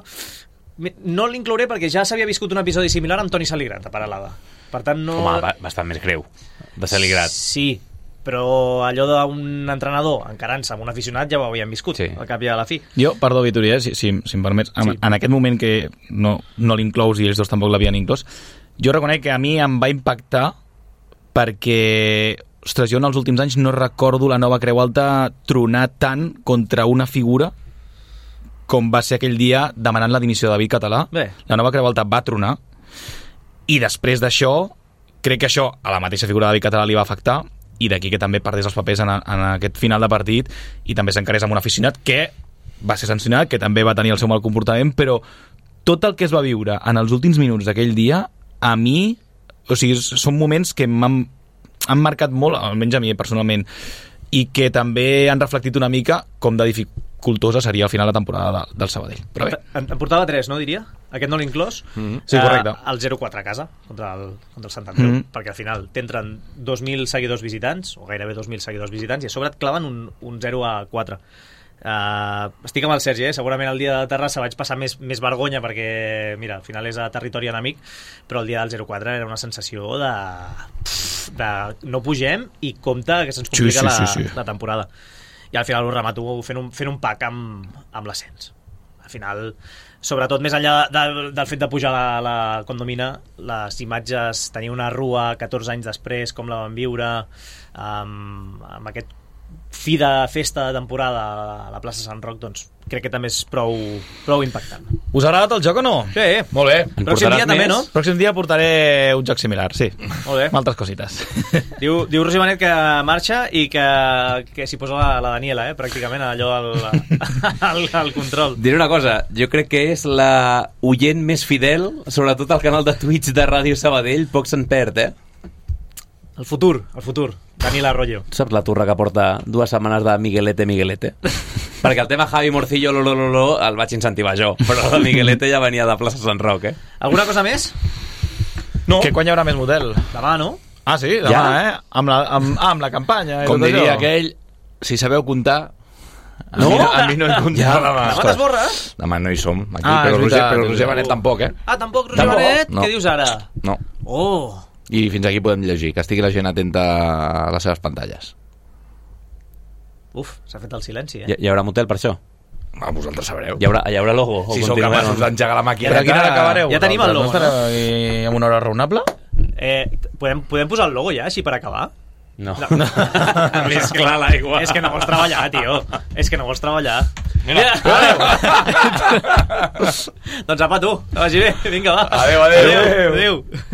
no l'inclouré perquè ja s'havia viscut un episodi similar amb Toni Saligrat a Paralada. Per tant, no... Home, bastant més greu, de Saligrat. Sí, però allò d'un entrenador encarant-se amb un aficionat ja ho havíem viscut, sí. Al cap i a la fi. Jo, perdó, Vituri, eh, si, si, si em permets, en, sí. en aquest moment que no, no l'inclous i ells dos tampoc l'havien inclòs, jo reconec que a mi em va impactar perquè, ostres, jo en els últims anys no recordo la Nova Creu Alta tronar tant contra una figura com va ser aquell dia demanant la dimissió de David Català. Bé. La Nova Creu Alta va tronar i després d'això crec que això a la mateixa figura de David Català li va afectar i d'aquí que també perdés els papers en, a, en aquest final de partit i també s'encarés amb un aficionat que va ser sancionat, que també va tenir el seu mal comportament, però tot el que es va viure en els últims minuts d'aquell dia, a mi, o sigui, són moments que m'han han marcat molt, almenys a mi personalment, i que també han reflectit una mica com de dificultosa seria al final la temporada de, del Sabadell. Però bé. En, en portava tres, no, diria? Aquest no l'inclòs? Mm-hmm. Sí, correcte. Uh, el zero quatre a casa, contra el, contra el Sant Andreu, mm-hmm. perquè al final t'entren dos mil seguidors visitants, o gairebé dos mil seguidors visitants, i a sobre et claven un, un zero a quatre. Uh, estic amb el Sergi, eh? Segurament el dia de Terrassa vaig passar més, més vergonya perquè, mira, al final és a territori enemic, però el dia del zero quatre era una sensació de, de no pugem i compte que se'ns complica sí, sí, sí, sí. La, la temporada. I al final ho remato fent un, fent un pack amb, amb l'ascens. Al final, sobretot més enllà de, de, del fet de pujar la, la condomina, les imatges, tenir una rua catorze anys després, com la vam viure, amb, amb aquest fi de festa de temporada a la plaça Sant Roc, doncs crec que també és prou, prou impactant. Us ha agradat el joc o no? Sí. Molt bé. En pròxim dia més? També, no? Pròxim dia portaré un joc similar, sí. Molt bé. Amb altres cosites. Diu, diu Roger Benet que marxa i que, que s'hi posa la, la Daniela, eh, pràcticament, allò al, al, al control. Diré una cosa, jo crec que és la oient més fidel, sobretot al canal de Twitch de Ràdio Sabadell, poc se'n perd, eh? El futur, el futur. Daniel Arroyo. Saps la turra que porta dues setmanes de Miguelete, Miguelete? Perquè el tema Javi Morcillo, lo, lo, lo, lo, el vaig incentivar jo, però el Miguelete ja venia de plaça Sant Roc, eh? Alguna cosa més? No. Que quan hi haurà més model? Demà, no? Ah, sí, demà, ja? eh? Amb la, amb, ah, amb la campanya. Com diria això. Aquell, si sabeu comptar... A no? mi no, a mi no he comptat ja, demà. Demà t'esborra? Demà no hi som, aquí, ah, però, Roger, veritat, però Roger Benet tampoc, eh? Ah, tampoc, Roger Benet? No. Què dius ara? No. Oh... I fins aquí podem llegir, que estigui la gent atenta a les seves pantalles. Uf, s'ha fet el silenci, eh? Hi, hi haurà motel per això? Ah, vosaltres sabreu. Hi haurà, hi haurà logo? Si sou capaços d'engegar la màquina. Però a quina hora acabareu? Ja tenim el logo, no? I amb una hora raonable? Eh, podem, podem posar el logo ja, així per acabar? No. no. Més clar l'aigua. És que no vols treballar, tio. És que no vols treballar. Mira. Doncs apa, tu. Que vagi bé. Vinga, va. Adéu, adéu. Adéu. adéu.